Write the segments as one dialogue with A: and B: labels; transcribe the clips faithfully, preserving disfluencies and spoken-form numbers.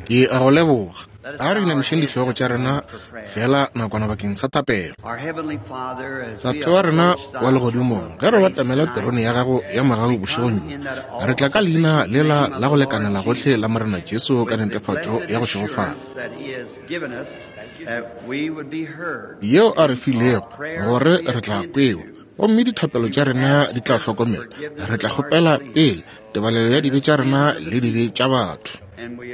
A: Ke a go leboga. A re inamišeng dihlogo tša rena fela nakwana bakeng sa thapelo. Tate wa rena wa legodimong, ge re batamela terone ya gago ya mogau bošegong bjo, re tla ka leina lela la go lekanela gohle la Morena Jesu ka netefatšo ya go šegofala yeo a re filego, gore re tla kwewa gomme dithapelo tša rena di tla hlokomelwa. Re tla kgopela pele tebalelo ya dibe tša rena le dibe tša batho,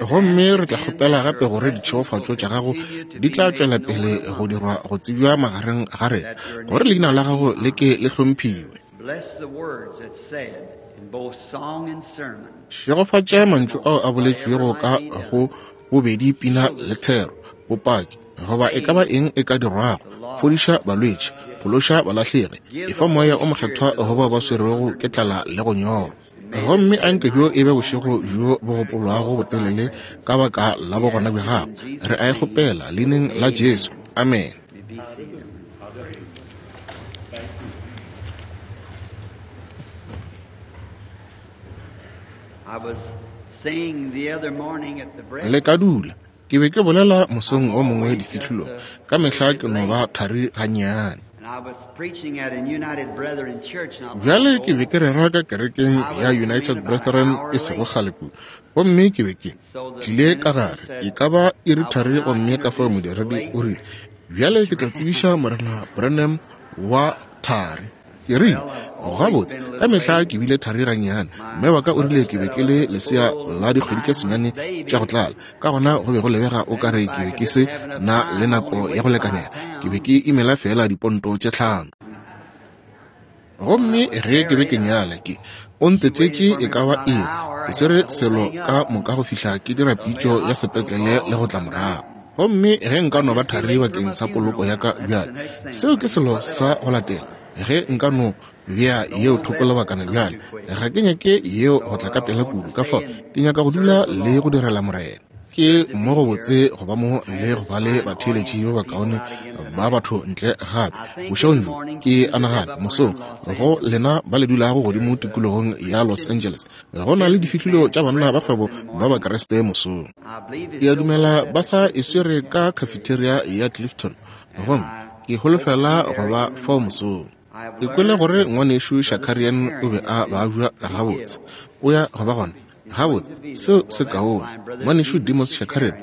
A: gomme re tla kgopela gape gore ditšhegofatšo tša gago di tla tšwela pele go dirwa go tsebja magareng ga rena, gore leina la gago le ke le hlomphiwe. Šegofatša mantšu ao a boletšwego ka go bobedi pina le thero, bopaki goba e ka ba eng e ka dirwago. Fodiša balwetši, phološa balahlegi, efa moya o mokgethwa go bao ba swerwego ke tlala le go nyorwa. Gomme anke bjo e be bošego bjo bo gopolwago botelele ka baka la bogona bja gago. Re a e kgopela leineng la Jesu. Amen. Le ka dula. Ke be ke bolela mosong o mongwe difihlolong. Ka mehla ke no ba thari gannyane. Bjale ke be ke rera ka kerekeng ya United Brethren e sego kgale kudu, gomme ke be ke tlile ka gare e ka ba iri thari, gomme ka fao modiredi o rile, bjale ke tla tsebiša Morena Branham wa thari. Ke rile, gabotse, ka mehla ke bile thari gannyane. Mme wa ka o rile ke be ke le lesea la dikgwedi tše senyane tša go tlala, ka gona go be go lebega o ka re ke be ke se na le nako ya go lekanela. Ke be ke imela fela diponto tše tlhano. Gomme ge ke be ke nyala, ke o ntetetše e ka ba iri, ke swere selo ka moka go fihla ke dira pitšo ya sepetlele le go tla morago. Gomme ge nka no ba thari bakeng sa poloko ya ka bjale, seo ke selo sa go latela. Ge nka no bea yeo thoko lebakana bjale, ga ke nyake yeo go tla ka pela kudu, ka fao ke nyaka go dula le go direla Morena. Ke mo go botse go ba mo le go ba le batheeletši ba bakaone ba batho ntle gape bošegong bjo. Ke a nagana mosong go lena ba le dulago godimo tikologong ya Los Angeles, go na le difihlolo tša banna ba kgwebo ba Bakreste mosong. Ke a dumela ba sa e swere ka cafeteria ya Clifton, gomme ke holofela go ba fao mosong. Ke kwele gore ngwanešu Shakarian o be a babja gabotse. O ya go ba gona gabotse, seo se kaone. Ngwanešu Demos Shakarian,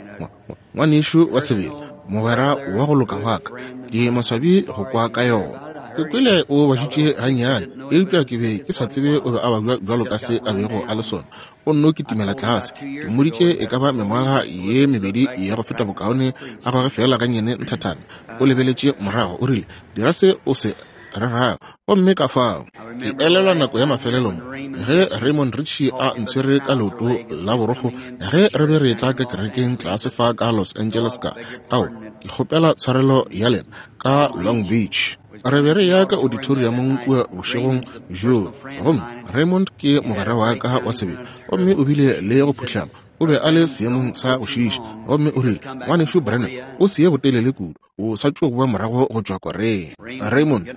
A: ngwanešu wa sebele, mogwera wa go loka wa ka, ke maswabi go kwa ka yona. Ke kwele o bajutše gannyane, eupša ke be ke sa tsebe o be a babja bjalo ka se a bego a le sona. O nno kitimela tlase. Ke mmoditše e ka ba mengwaga ye mebedi ya go feta bokaone a goge fela gannyane nthathana. O lebeletše morago, o rile, dira se o se rerago. Gomme ka fao ke elelwa nako ya mafelelo mo ge Raymond Richey a ntshwere ka leoto la borokgo ge re be re tla ka kerekeng tlase fa ka Los Angeles ka ao, ke kgopela tshwarelo ya lena, ka Long Beach. Re be re ya ka auditoriumong kua bošegong bjoo, gomme Raymond ke mogwera wa ka wa sebele, gomme o bile le go phuhlama. O be a le seemong sa go šiiša, gomme o rile, ngwanešu Branham, o se ye botelele kudu, o sa tšo boa morago go tšwa Korea. Raymond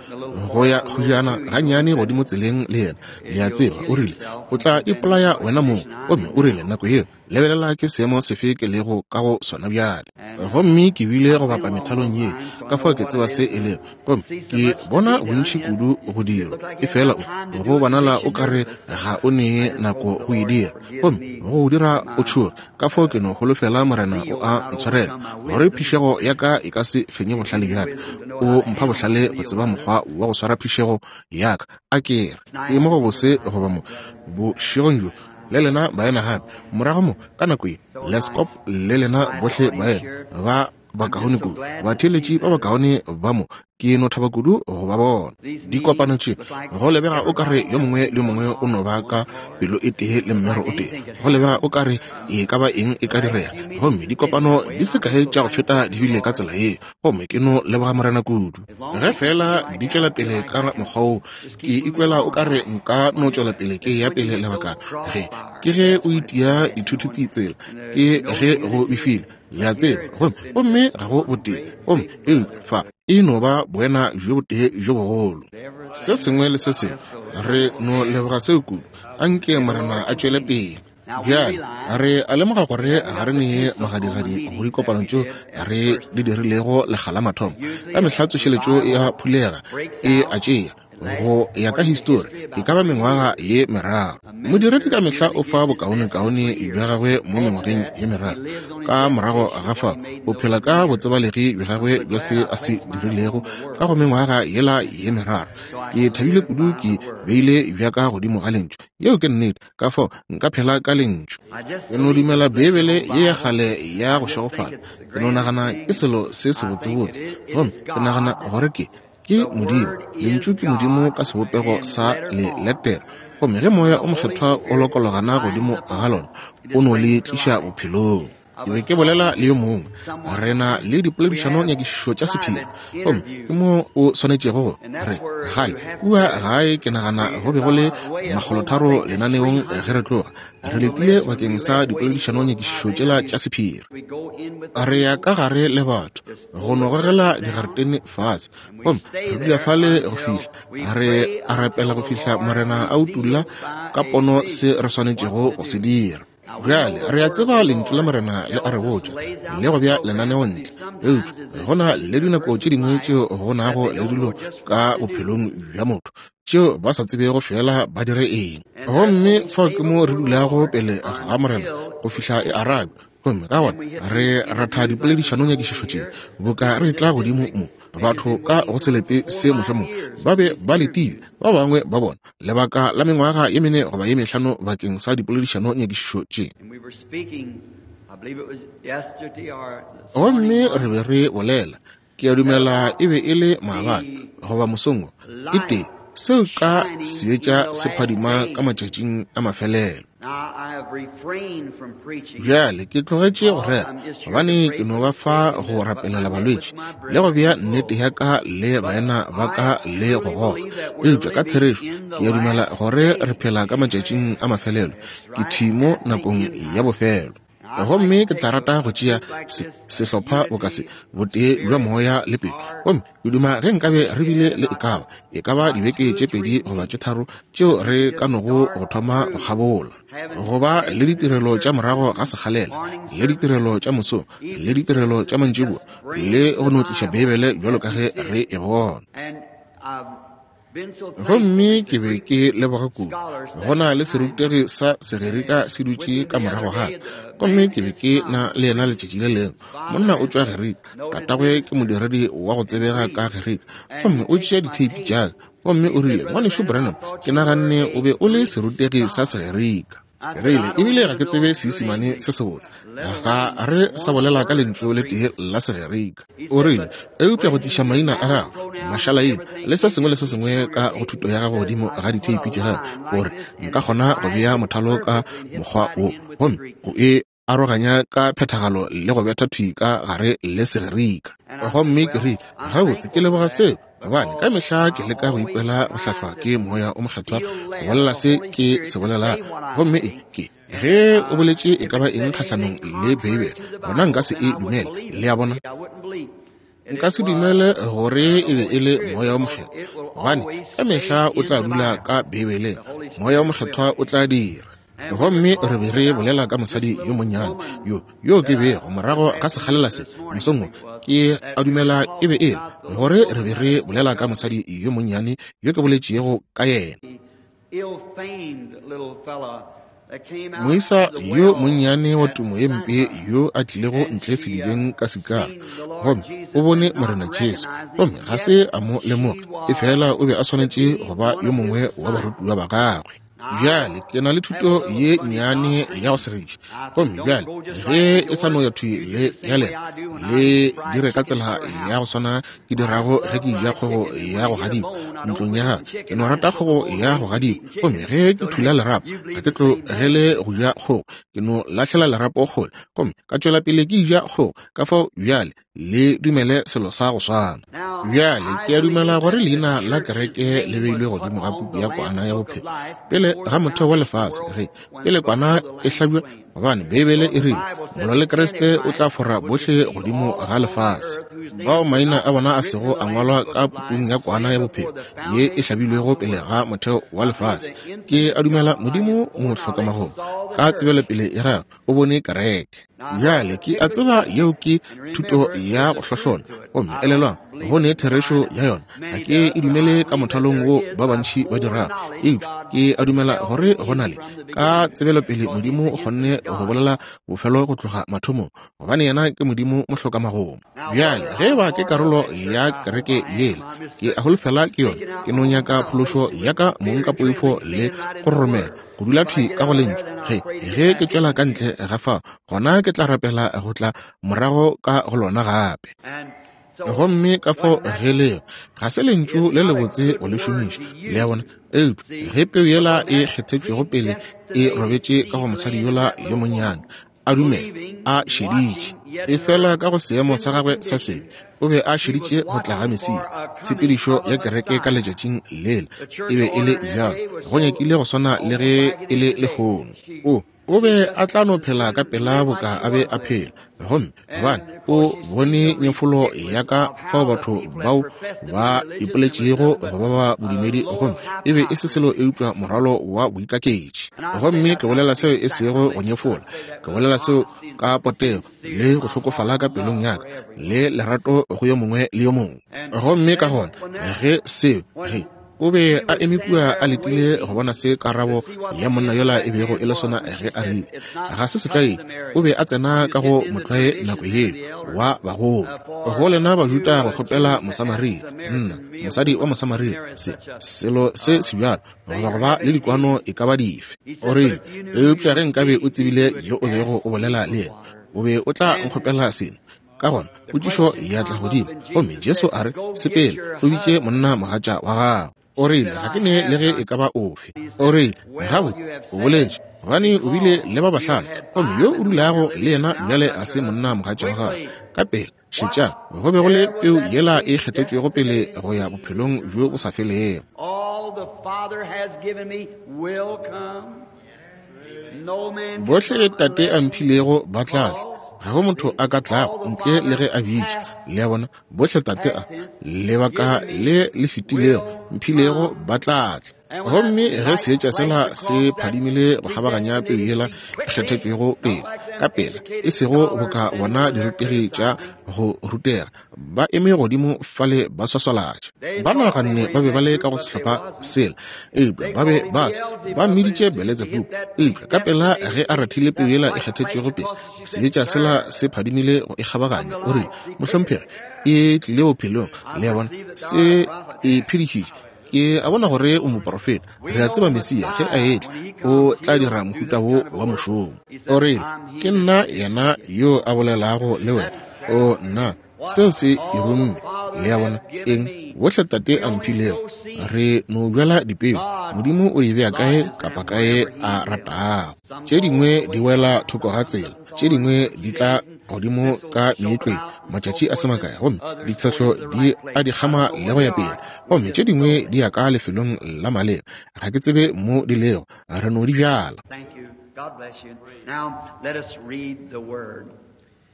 A: go ya kgojana gannyane godimo tseleng le yena, le a tseba, o rile, o tla ipolaya wena mong. Gomme o rile, nako yeo, lebelela ke seemo sefe ke lego ka go sona bjale. Gomme ke bile go bapa methalong ye, ka fao ke tseba se e lego. Gomme ke bona bontši kudu go dirwa, efela o go bonala o ka re ga o nee nako go e dira, gomme go o dira o tšhoge. Ka fao ke no holofela Morena o a ntshwarela, gore phišego ya ka e ka se fenye bohlale bja ka. O mpha bohlale go tseba mokgwa wa go swara phišego ya ka. A ke re ke mo go bose go ba mo bošegong bjo le lena baena gape morago mo ka nako ye. Leskop le lena bohle baena ba bakaone kudu, batheeletši ba bakaone ba mo, ke no thaba kudu go ba bona. Dikopano tše go lebega o ka re yo mongwe le mongwe o no ba ka pelo e tee le mmero o tee, go lebega o ka re e ka ba eng e ka direga. Gomme dikopano di se kae tša go feta di bile ka tsela ye, gomme ke no leboga Morena kudu. Ge fela di tšwela pele ka mokgwa wo, ke ikwela o ka re nka no tšwela pele ke ya pele lebakana. Ge ke ge o itia dithuthupi tsela, ke ge go befile, le a tseba, gomme gomme ga go botee, gomme eupša fa e no ba boena bjo botee bjo bogolo. Se sengwe le se sengwe, re no leboga seo kudu. Anke Morena a tšwele pele. Bjale re a lemoga gore ga re nee magadigadi go dikopano tšeo re di dirilego lekga la mathomo. Ka mehla tsošeletšo e a phulega, e a tšea go ya ka histori e ka ba mengwaga ye meraro. Modiredi ka mehla o fa bokaonekaone bja gagwe mo mengwageng ye meraro. Ka morago ga fao o phela ka botsebalegi bja gagwe bja se a se dirilego ka go mengwaga yela ye meraro. Ke thabile kudu ke beile bja ka godimo ga lentšu. Yeo ke nnete, ka fao nka phela ka lentšu. Ke no dumela Beibele ye ya kgale ya go šegofala. Ke no nagana ke selo se sebotsebotse, gomme ke nagana gore ke ke Modimo. Lentšu ke Modimo ka sebopego sa leletere, gomme ge Moya o Mokgethwa o lokologana godimo ga lona, o no le tliša bophelong. Ke be ke bolela le yo mongwe, re na le dipoledišano nyakišišo tša sephiri, gomme ke mo o swanetšego go re gae kua gae. Ke nagana go be go le makgolotharo lenaneong ge re tloga, re letile bakeng sa dipoledišano nyakišišo tšela tša sephiri. Re ya ka gare le batho go no gogela digaretene fase, gomme re dula fale go fihla re a rapela go fihla Morena a utulla ka pono se re swanetšego go se dira. Bjale re a tseba lentšu la Morena le a re botša le go bja lenaneo ntle, eupša go na le dinako tše dingwe tšeo go nago le dilo ka bophelong bja motho tšeo ba sa tsebego fela ba dire eng. Gomme fao ke mo re dulago pele ga Morena go fihla e arabja, gomme ka gona re ratha dipoledišano nyakišišo tše boka re tla godimo mo. Batho ka go selete se mohlomongwe ba be ba letile, ba bangwe ba bona lebaka la mengwaga ye mene goba ye mehlano bakeng sa dipoledišano nyakišišo tše. Gomme re be re bolela, ke a dumela e be e le maabane goba mosong e tee, seo ka seetša se phadima ka matšatšing a mafelelo. Bjale ke tlogetše go rera gobane ke no ba fa go rapelela balwetši le go bea nnete ya ka le baena ba ka le go goga. Eupša ka therešo ke a dumela gore re phela ka matšatšing a mafelelo, ke thimo nakong ya bofelo. Gomme ke tla rata go tšea se sehlopha boka se botee bja moya le pelo, gomme ke duma ge nkabe re bile le e ka ba e ka ba dibeke tše pedi goba tše tharo tšeo re ka nogo go thoma go kgabola, go ba le ditirelo tša morago ga sekgalela, le ditirelo tša mosong, le ditirelo tša mantšiboa, le go no tliša Beibele bjalo ka ge re e bona. Gomme ke be ke leboga kudu go na le serutegi sa Segerika se dutše ka morago ga ka, gomme ke be ke na le yena letšatši le lengwe. Monna o tšwa Gerika, tatagwe ke modiredi wa go tsebega ka Gerika, gomme o tšea ditheipi tša ka, gomme o rile, Ngwanešu Branham, ke naganne o be o le serutegi sa Segerika. Ke rile, ebile ga ke tsebe Seisemane se sebotse, ga re sa bolela ka lentšu le tee la Segerika. O rile, eupša go tliša maina a gago, mašalaina le se sengwe le se sengwe ka go thuto ya gago godimo ga ditheipi tša gago, gore nka kgona go bea mothalo ka mokgwa wo, gomme o e aroganya ka phethagalo le go betha thwi ka gare le Segerika. Gomme ke rile, gabotse ke leboga seo, gobane ka mehla ke leka go ikwela go hlahlwa ke Moya o Mokgethwa go bolela se ke se bolelago. Gomme e ke ge o boletše e ka ba eng kgahlanong le Beibele, gona nka se e dumele. Le a bona? Nka se dumele gore e be e le Moya o Mokgethwa, gobane ka mehla o tla dula ka Beibeleng. Moya o Mokgethwa o tla dira. Gomme re be re bolela ka mosadi yo monnyane yo yo ke bego morago ga sekgalela se mosong wo, ke a dumela e be e le gore re be re bolela ka mosadi yo monnyane yo ke boletšego ka yena. Moisa yo monnyane wa tumo ye mpe yo a tlilego ntle sedibeng ka Sikara, gomme o bone Morena Jesu, gomme ga se a mo lemoga, efela o be a swanetše go ba yo mongwe wa barutiwa ba gagwe. Bjale ke na le thuto ye nnyane ya go segiša, gomme bjale ge e sa no ya thwi le ya lena, le dire ka tsela ya go swana ke dirago ge ke ja kgogo ya go gadikwa ntlong ya gago. Ke no rata kgogo ya go gadikwa, gomme ge ke thula lerapo ga ke tlogele go ja kgogo, ke no lahlela lerapo kgole, gomme ka tšwela pele ke ja kgogo. Ka fao bjale le dumele selo sa go swana. Bjale ke a dumela gore leina la kereke le beilwe godimo ga puku ya kwana ya bophelo pele ga motheo wa lefase, ge pele kwana e hlabja, gobane Beibele e rile molwa le Kriste o tla fora bohle godimo ga lefase. Bao maina a bona a sego a ngwalwa ka pukung ya kwana ya bophelo ye e hlabilwego pele ga motheo wa lefase. Ke a dumela Modimo mohlokamagomo ka tsebelopele ya gagwe o bone kereke. Bjale ke a tseba yeo ke thuto ya go hlohlona, gomme elelwang go ne therešo ya yona. Ga ke e dumele ka mothalong wo ba bantši ba dirago, eupša ke a dumela gore go na le ka tsebelopele Modimo o kgonne go bolela bofelo go tloga mathomong, gobane yena ke Modimo mohlokamagomo. Bjale ge ba ke karolo ya kereke yela, ke a holofela ke yona. Ke no nyaka phološo ya ka mong ka poifo le go roromela, go dula thwi ka go lentšu. Ge ge ke tšwela ka ntle ga fao, gona ke tla rapela go tla morago ka go lona gape. Gomme ka fao ge leo ga se lentšu le lebotse go le šomiša, le a bona, eupša ge peu yela e kgethetšwego pele e robetše ka go mosadi yola yo monnyane, a dumela, a šeditše, efela ka go seemo sa gagwe sa sebe, o be a šeditše go tla ga Mesia. Tshepedišo ya kereke ka letšatšing lela e be e le bjalo, go nyakile go swana le ge e le lehono. O o be a tla no phela ka pela boka a be a phela, gomme gobane o bone nyefolo ya ka fao batho bao ba ipoletšego go ba ba bodumedi, gomme e be e se selo eupša morwalo wa boikaketši. Gomme ke bolela seo e sego go nyefola, ke bolela seo ka potego le go hlokofala ka pelong ya ka le lerato go yo mongwe le yo mongwe. Gomme ka gona ge seo ge o be a eme kua a letile go bona se karabo ya monna yola e bego e le sona ge a rile ga se setlwaedi, o be a tsena ka go motlwae nako yeo wa bagolo. Go lena Bajuda go kgopela Mosamaria, nna mosadi wa Mosamaria, se selo se sebjalo goba go ba le dikwano e ka ba dife. O rile, eupša ge nkabe o tsebile yo o bego o bolela le yena, o be o tla nkgopela seno. Ka gona potšišo ya tla godimo, gomme Jesu a re, sepela o bitše monna mogatša wa gago. O rile, ga ke ne le ge e ka ba ofe. O rile, gabotse o boletše, gobane o bile le ba bahlano, gomme yo o dulago le yena bjale a se monna mogatša wa gago. Ka pela šetšang, go be go le peu yela e kgethetšwego pele go ya bophelong bjo bo sa felego. Bohle Tate a mphilego ba tla tla, ga go motho a ka tlago ntle le ge a bitša. Le a bona, bohle Tate a lebaka le le fetilego mphilego ba tla tla. Gomme ge seetša sela se phadimile go kgabaganya peu yela e kgethetšwego pele ka pela, e sego boka bona dirutegi tša go rutega ba eme godimo fale ba swaswalatša. Ba naganne ba be ba le ka go sehlopha sela, eupša ba be ba se ba mmiditše Beletsebubu. Eupša ka pela ge a rathile peu yela e kgethetšwego pele, seetša sela se phadimile go e kgabaganya. O rile, mohlomphegi, e tlile bophelong. Le a bona, se e phedišitše. Ke a bona gore o moprofeta. Re a tseba Mesia ge a etla o tla dira mohuta wo wa mošomo. O rile, ke nna yena yo a bolelago le wena. O nna, seo se e romme. Le a bona eng? Bohle Tate a mphilego, re no bjala dipeu. Modimo o di bea kae kapa kae a ratago. Tše dingwe di wela thoko ga tsela, tše dingwe di tla godimo ka meetlweng matšatši a se makae, gomme ditshehlo di a di kgama le go ya pele, gomme tše dingwe di ya ka lefelong la maleba. Ga ke tsebe mo di lego, re no di bjala.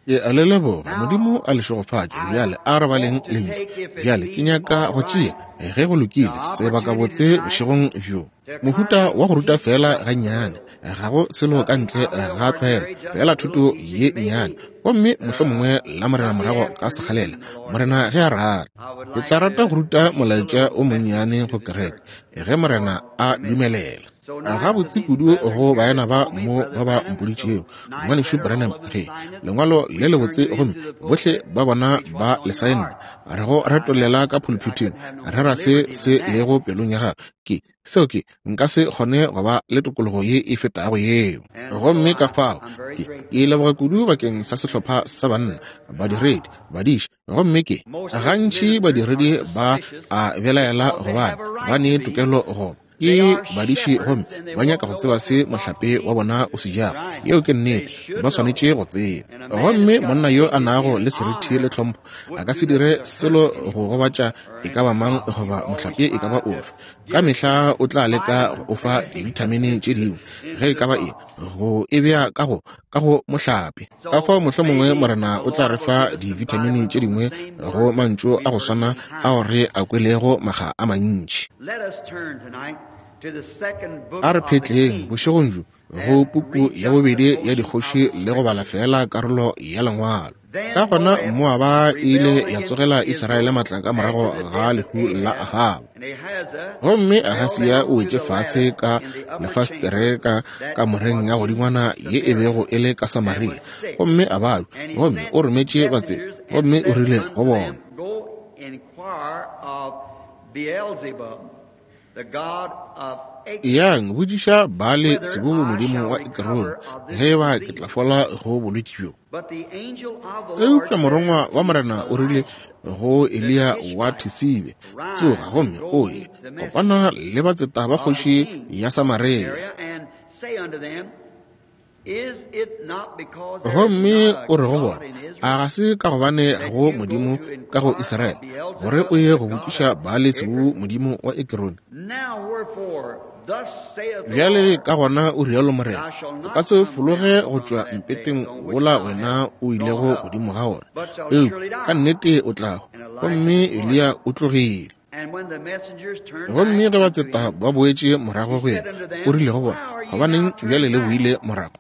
A: Ke a le leboga, Modimo a le šegofatše. Bjale a re baleng lentšu. Bjale ke nyaka go tšea, ge go lokile, sebakabotse bošegong bjo, mohuta wa go ruta fela gannyane, ga go selo ka ntle ga tlwaelo, fela thuto ye nnyane, gomme mohlomongwe la Morena morago ka sekgalela, Morena ge a rata. Ke tla rata go ruta molaetša o monnyane go kereke, ge Morena a dumelela. Gabotse kudu go baena ba mo ba ba mpoditšego, ngwanešu Branham, ge lengwalo le lebotse, gomme bohle ba bona ba le saenne, re go retollela ka pulpiteng, re ra se se lego pelong ya gago. Ke seo ke nka se kgone go ba le tokologo ye e fetago yeo. Gomme ka fao ke ke leboga kudu bakeng sa sehlopha sa banna, badiredi, badiši. Gomme ke gantši badiredi ba a belaela gobane ba ne tokelo go ke badiši, gomme ba nyaka go tseba se mohlape wa bona o se jago. Yeo ke nnete, ba swanetše go tseba. Gomme monna yo a nago le seriti le tlhompho a ka se dire selo go gobatša e ka ba mang goba mohlape e ka ba ofe. Ka mehla o tla leka go o fa dibithamini tše dingwe, ge e ka ba eng, go e bea ka go, ka go mohlape. Ka fao mohlomongwe Morena o tla re fa dibithamini tše dingwe go mantšu a go swana ao re a kwelego makga a mantši. A re phetleng bošegong bjo go puku ya bobedi ya dikgoši le go bala feela karolo ya lengwalo. Ka gona Moaba e ile ya tsogela Israele matla ka morago ga lehu la Ahaba. Gomme Ahasia o wetše fase ka lefastere ka kamoreng ya godingwana ye e bego e le ka Samaria, gomme a babja, gomme o rometše batseta, gomme o rile go bona, Yang botšiša Baale Sebubu modimo wa Ekrone ge eba ke tla fola go bolwetši bjo. Eupša morongwa wa Morena o rile go Eliya wa Thisibe, Tsoga gomme o ye kopana le batseta ba kgoši ya Samaria. Gomme o re go bona, A ga se ka gobane ga go modimo ka go Israele, gore o ye go botšiša Baale Sebubu modimo wa Ekrone? Bjale ka gona o rialo Morena, o ka se fologe go tšwa mpeteng wola wena o ilego godimo ga wona, eupša ka nnete o tla hwa. Gomme Eliya o tlogile. Gomme ge batseta ba boetše morago go yena, o rile go bona, Gobaneng bjale le boile morago?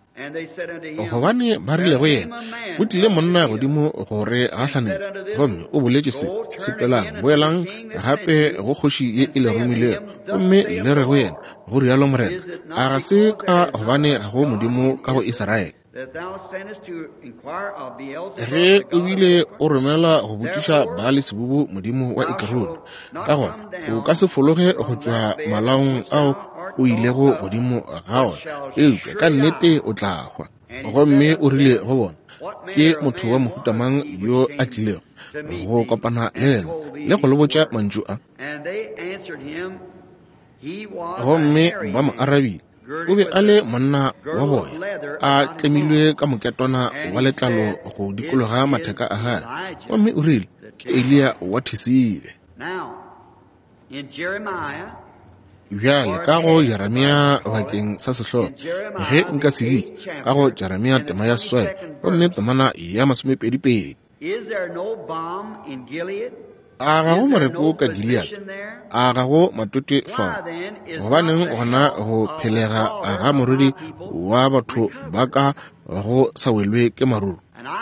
A: Gobane ba rile go yena, Go tlile monna godimo go re gahlanetša, gomme o boletše se, Sepelang, boelang gape go kgoši ye e le romilego, gomme le re go yena, Go rialo Morena, a ga se ka gobane ga go modimo ka go Israele? Ge o bile o romela go botšiša Baale Sebubu modimo wa Ekrone, ka gona o ka se fologe go tšwa malaong ao o ilego godimo ga ona, eupša ka nnete o tla hwa. Gomme o rile go bona, Ke motho wa mohuta mang yo a tlilego go kopana le lena le go le botša mantšu a? Gomme ba mo arabile, O be a le monna wa boya, a tlemilwe ka moketwana wa letlalo go dikologa matheka a gagwe, gomme o rile, Ke Eliya wa Thisibe. Bjale ka go Jeremia bakeng sa sehlogo, ge nka se bitša, ka go Jeremia tema ya seswai, gomme temana ya masomepedi-pedi. A ga go moreko ka Gilead? A ga go matote fao? Gobaneng gona go phelega ga moriri wa batho ba ka go sa welwe ke maruru?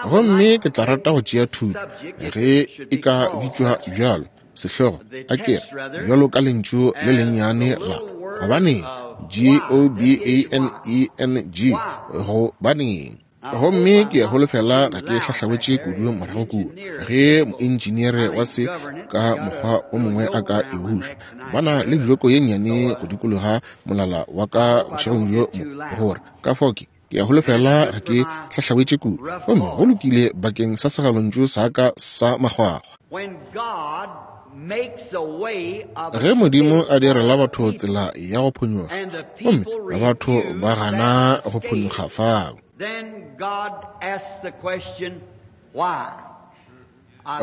A: Gomme ke tla rata go tšea thuto, ge e ka bitšwa bjalo, sehlogo, a ke re, bjalo ka lentšu le lennyane la gobaneng, G O B A N E N G, gobaneng. Gomme ke holofela ga ke hlahlawetše kudu morago kua, ge moentšineere wa se ka mokgwa o mongwe a ka e buša. Ba na le joko ye nnyane go dikologa molala wa ka bošegong bjo mo, gore ka fao ke, ke a holofela ga ke hlahlawetše kudu. Gomme go lokile bakeng sa segalontšu sa ka sa makgwakgwa. Ge Modimo a direla batho tsela ya go phonyokga, gomme batho ba gana go phonyokga fao,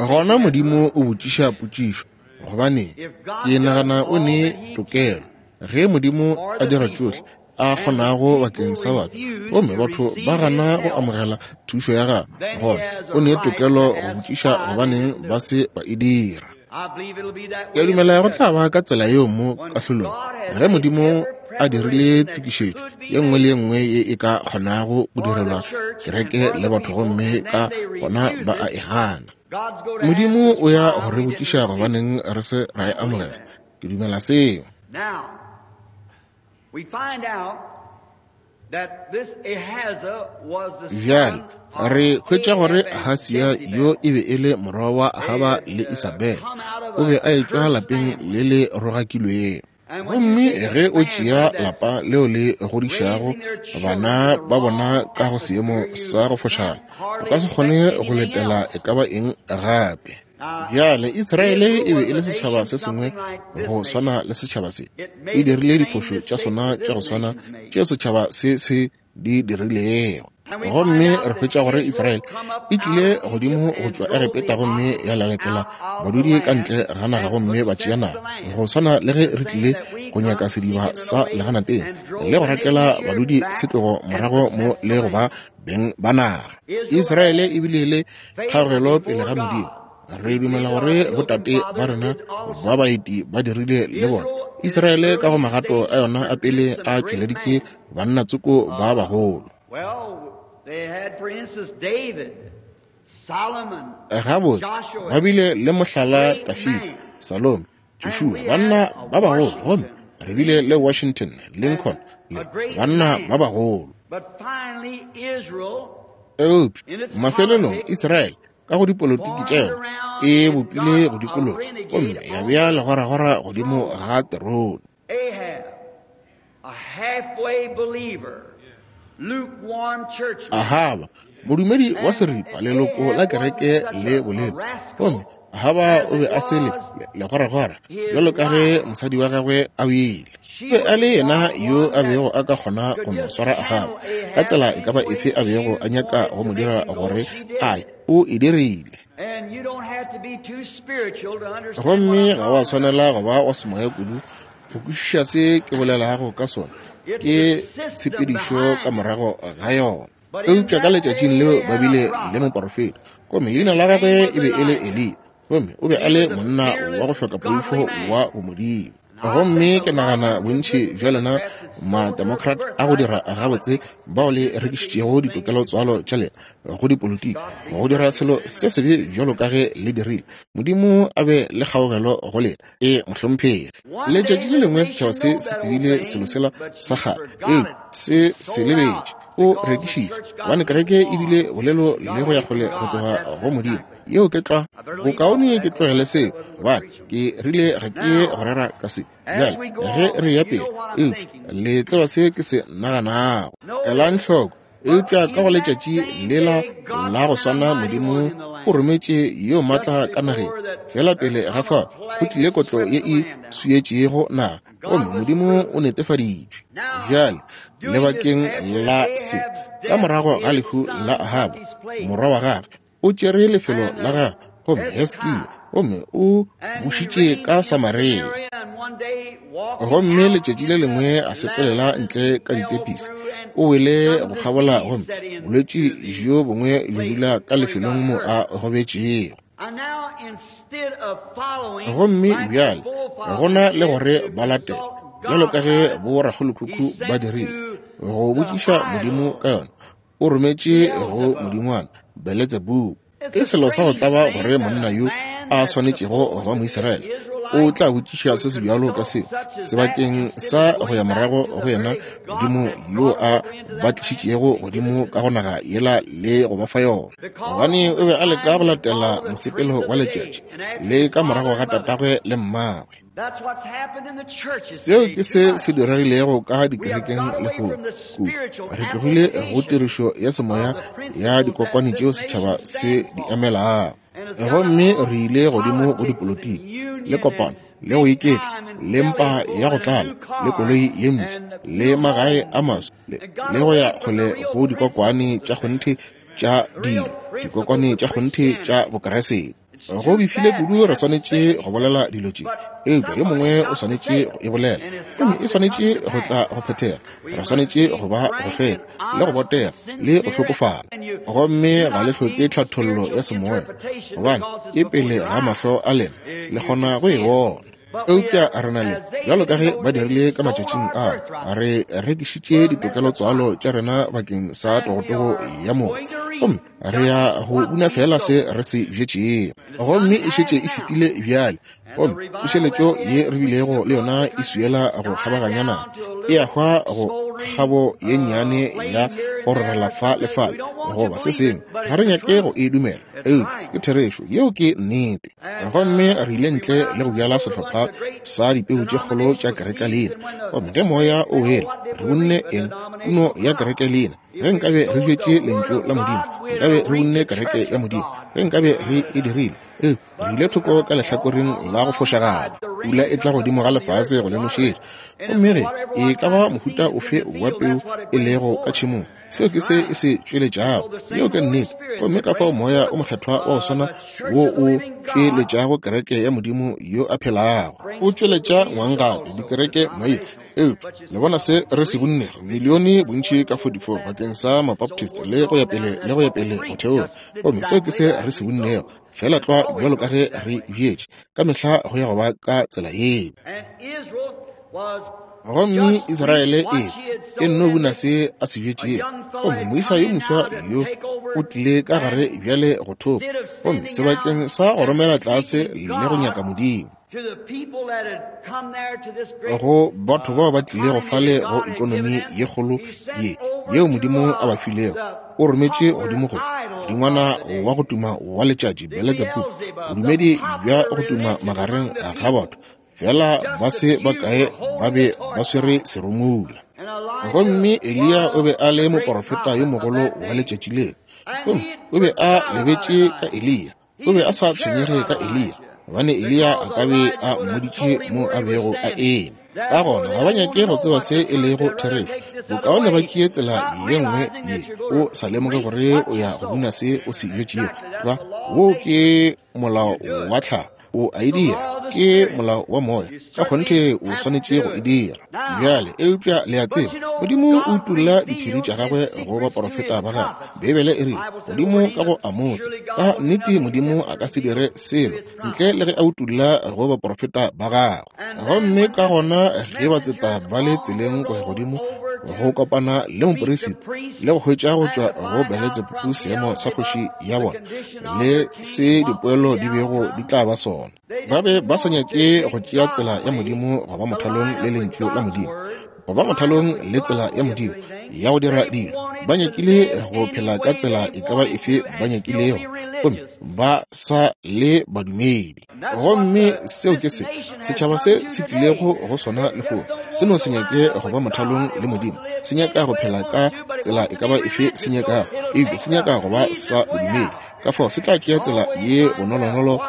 A: gona Modimo o botšiša potšišo, gobaneng? Ke nagana o ne tokelo. Ge Modimo a dira tšohle a kgonago bakeng sa batho, gomme batho ba gana go amogela thušo ya gagwe, gona o ne tokelo go botšiša gobaneng ba se ba e dira. Ke dumela go tla ba ka tsela yeo mo kahlolong, ge Modimo a dirile tokišetšo ye nngwe le ye nngwe ye e ka kgonago go direlwa kereke le batho, gomme ka gona ba a e gana. Modimo o ya go re botšiša gobaneng re se ra e amogela. Ke dumela seo. Bjale re hwetša gore Ahasia yo e be e le morwa wa Ahaba le Isabele. O be a etšwa lapeng le le rogakilwego. Gomme ge o tšea lapa leo le godišago bana ba bona ka go seemo sa go fošagala, o ka se kgone go letela e ka ba eng gape. Bjale Israele e be e le setšhaba se sengwe go swana le setšhaba se. E dirile diphošo tša sona tša go swana tšeo setšhaba se se di dirilego. Gomme re hwetša gore Israele e tlile godimo go tšwa Egepeta gomme ya lalekela badudi ka ntle ga naga gomme ba tšea naga, go swana le ge re tlile go nyaka sediba sa leganateng le go rakela badudi setlogo morago mo le go ba beng ba naga. Israele e bile le kgaogelo pele ga Modimo. Re dumela gore botate ba rena ba baeti ba dirile le bona. Israele ka go magato a yona a pele a tšweleditše banna tsoko ba bagolo. Gabotse, ba bile le mohlala Dafida, Salome, Joshua, banna ba bagolo, gomme re bile le Washington, Lincoln, le banna ba bagolo. Eupša mafelelong Israele ka go dipolotiki tša yona e bopile go dikologa gomme ya bea legoragora godimo ga terone. Ahaba, modumedi wa seripa, leloko la kereke le bolelo, gomme Ahaba o be a se le legoragora bjalo ka ge mosadi wa gagwe a wele. O be a le yena yo a bego a ka kgona go mo swara Ahaba ka tsela e ka ba efe a bego a nyaka go mo dira gore a ye, o e dirile. Gomme ga wa swanela go ba wa semoya kudu go kwešiša se ke bolelago ka sona, ke tshepedišo ka morago ga yona. Eupša ka letšatšing leo ba bile le moporofeta, gomme leina la gagwe e be e le Eliya, gomme o be a le monna wa go hloka poifo wa bomodimo. Gomme ke nagana bontši bja lena ma-Democrat a go dira gabotse bao le rekišitšego ditokelo tswalo tša lena go dipolotiki go dira selo se sebe bjalo ka ge le dirile, Modimo a be le kgaogelo go lena. E mohlomphegi. Letšatši le lengwe setšhaba se se tsebile selo sela sa kgale, eupša se se lebetše. O rekišitše gobane kereke e bile bolelo le go ya kgole go tloga go Modimo. Yeo ke tlwa. Bokaone ke tlogele seo gobane ke rile ga ke go rera ka se bjale ge re ya pele, eupša le tseba se ke se naganago. Elang hloko. Eupša ka go letšatši lela la go swana Modimo o rometše yo matla ka nageng. Fela pele ga fao go tlile kotlo ye e swietšego naga, gomme Modimo o netefaditšwe. Bjale lebakeng la se, ka morago ga lehu la Ahaba morwa wa gagwe, o tšere lefelo la gagwe, gomme Hesekia, gomme o bušitše ka Samaria. Gomme letšatši le lengwe a sepelela ntle ka ditepisi, o wele go kgabola, gomme bolwetši bjo bongwe bjo dula ka lefelong mo a gobetšego. Gomme bjale gona le gore ba latele bjalo ka ge borakgolokhukhu ba dirile go botšiša Modimo ka yona, o rometše go modingwana Beletsebubu. Ke selo sa go tlaba gore monna yo a swanetšego go ba Moisraele o tla botšiša se se bjalo ka seo sebakeng sa go ya morago go yena Modimo yo a ba tlišitšego godimo ka go naga yela le go ba fa yona, gobane o be a leka go latela mosepelo wa letšatši le ka morago ga tatagwe le mmagwe. Seo ke se se diregilego ka dikerekeng lehono kudu. Re tlogile go tirišo ya semoya ya dikokwane tšeo setšhaba se di emelago, gomme re ile godimo go dipolotiki le kopano le go iketla le mpa ya go tlala le koloi ye mpsha le magae a maswa le go ya kgole go dikokwane tša kgonthe tša dilo, dikokwane tša kgonthe tša Bokeresete. Go befile kudu re swanetše go bolela dilo tše, eupša yo mongwe o swanetše go e bolela, gomme e swanetše go tla go phethega. Re swanetše go ba go hlweka le go botega le go hlokofala, gomme ga le hloke tlhathollo ya semoya gobane e pele ga mahlo a lena, le kgona go e bona. Eupša re na le, bjalo ka ge ba dirile ka matšatšing ao, re rekišitše ditokelo tswalo tša rena bakeng sa togotogo ya moya, gomme re ya go buna fela se re se bjetšego. Gomme e šetše e fetile bjale, gomme tsošeletšo ye re bilego le yona e swiela go kgabaganya naga, e a hwa go kgabo ye nnyane ya go rorela fa le fale goba se sengwe. Ga re nyake go e dumela, eupša ke therešo, yeo ke nnete. Gomme re ile ntle le go bjala sehlopha sa dipeu tše kgolo tša kereke lena, gomme ge moya o wele re bunne eng? Puno ya kereke lena. Ge nkabe re bjetše lentšu la Modimo, nkabe re bunne kereke ya Modimo. Ge nkabe re e dirile, ee, re ile thoko ka lehlakoreng la go fošagala. Pula e tla godimo ga lefase go le nošetša, gomme ge e ka ba mohuta ofe wa peu e lego ka tšhemong, Seo ke se e se tšweletšago. Yeo ke nnete. Gomme ka fao Moya o Mokgethwa wa go swana wo o tšweletšago kereke ya Modimo yo a phelago, o tšweletša ngwang gape dikereke maina. Eupša le bona se re se bonnego, milione bontši ka forty-four bakeng sa Mabaptist le go ya pele le go ya pele go theoga. Gomme seo ke se re se bonnego, fela tlwa bjalo ka ge re bjetše ka mehla go ya go ba ka tsela yeo. Gomme Israele e e nno buna se a se bjetšego. Gomme moisa yo moswa yo o tlile ka gare bjale go thopa, gomme sebakeng sa go romela tlase le go nyaka Modimo go batho bao ba tlilego fale go ekonomi ye kgolo ye yeo Modimo a ba filego, o rometše godimo go modingwana wa go tuma wa letšatši Beletsebubu, bodumedi bja go tuma magareng ga batho fela ba se bakae ba be ba swere serumula. Gomme Eliya o be a le moporofeta yo mogolo wa letšatši leo. Gomme o be a lebetše ka Eliya, o be a sa tshwenyege ka Eliya, gobane Eliya a ka be a mmoditše mo a bego a eme. Ka gona ga ba nyake go tseba se e lego therešo, bokaone ba tšee tsela ye nngwe ye o sa lemoge gore o ya go buna se o se bjetšego. Tlwa, woo ke molao wa tlhago, o a e dira, ke molao wa moya, ka kgonthe o swanetše go e dira. Bjale, eupša le a tseba, Modimo o utolla diphiri tša gagwe go baporofeta ba gagwe. Beibele e rile, godimo ka go Amose, ka nnete Modimo a ka se dire selo ntle le ge a utolla go baporofeta ba gagwe. Gomme ka gona ge batseta ba le tseleng go ya godimo go kopana le moperisita le go hwetša go tšwa go Beletsebubu seemo sa kgoši ya bona le se dipoelo di bego di tla ba sona, ba be ba sa nyake go tšea tsela ya Modimo go ba mothalong le lentšu la Modimo, go ba mothalong le tsela ya Modimo ya go dira dilo. Ba nyakile go phela ka tsela e ka ba efe ba nyakilego, gomme ba sa le badumedi. Gomme seo ke se setšhaba se se tlilego go sona lehono. Se no se nyake go ba mothalong le Modimo, se nyaka go phela ka tsela e ka ba efe se nyakago, eupša se nyaka go ba sa bodumedi. Ka fao se tla tšea tsela ye bonolonolo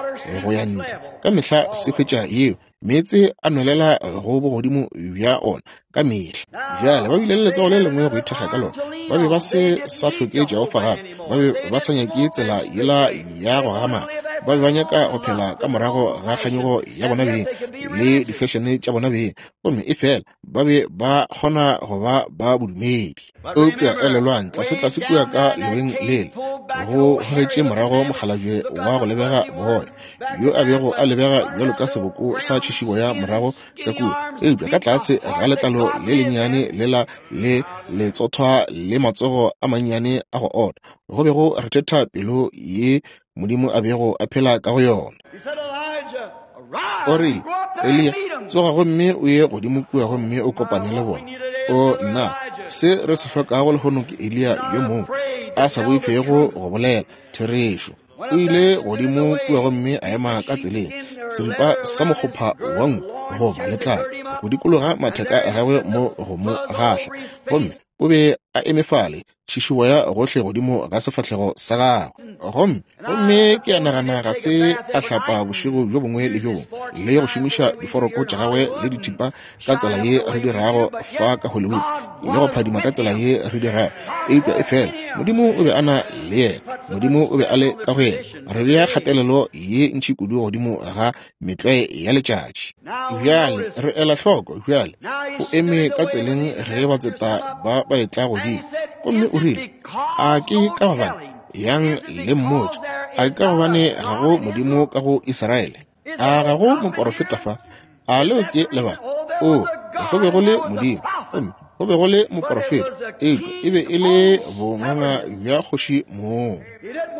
A: go ya ntle. Ka mehla se hwetša yeo, meetse a nwelela go bogodimo bja ona ka mehla. Bjale ba bile le letsogo le lengwe go ithekga ka lona. Ba be ba se sa hloke Jehofa gape, ba be ba sa nyake tsela yela ya go gama. Ba be ba nyaka go phela ka morago ga kganyogo ya bona beng le difešene tša bona beng, gomme e fela ba be ba kgona go ba ba bodumedi. Eupša elelwang, tlase-tlase kua ka leweng lele go gogetše morago mokgalabje wa go lebega boya, yo a bego a lebega bjalo ka seboko sa tšhišiboya morago ka kua, eupša ka tlase ga letlalo le lennyane lela le letsothwa le matsogo a mannyane a go ota, go be go rethetha pelo ye Modimo a bego a phela ka go yona. O rile, Eliya, tsoga gomme o ye godimo kua gomme o kopane le bona. O nna, se re se hlokago lehono ke Eliya yo mongwe a sa boifego go bolela therešo. O ile godimo kua gomme a ema ka tseleng, seripa sa mokgopha wa nku goba letlalo go dikologa matheka a gagwe mo go mo gahla, gomme o be a eme fale tšhišiboya gohle godimo ga sefahlego sa gagwe. Gomme gomme ke a nagana ga se a hlapa bošego bjo bongwe le bjo bongwe le go šomiša diforoko tša gagwe le dithipa ka tsela ye re dirago fa ka Hollywood le go phadima ka tsela ye re dirago, eupša e fela Modimo o be a na le yena, Modimo o be a le ka go yena. Re bea kgatelelo ye ntši kudu godimo ga metlwae ya letšatši. Bjale re ela hloko, bjale o eme ka tseleng ge batseta ba ba etla godimo, gomme o rile, a ke ka gobane yang le mmotše, a ke ka gobane ga go Modimo ka go Israele, a ga go moporofeta fa? A leo ke lebaka? O, go be go le Modimo, gomme go be go le moporofeta, eupša e be e le bonganga bja kgoši moo.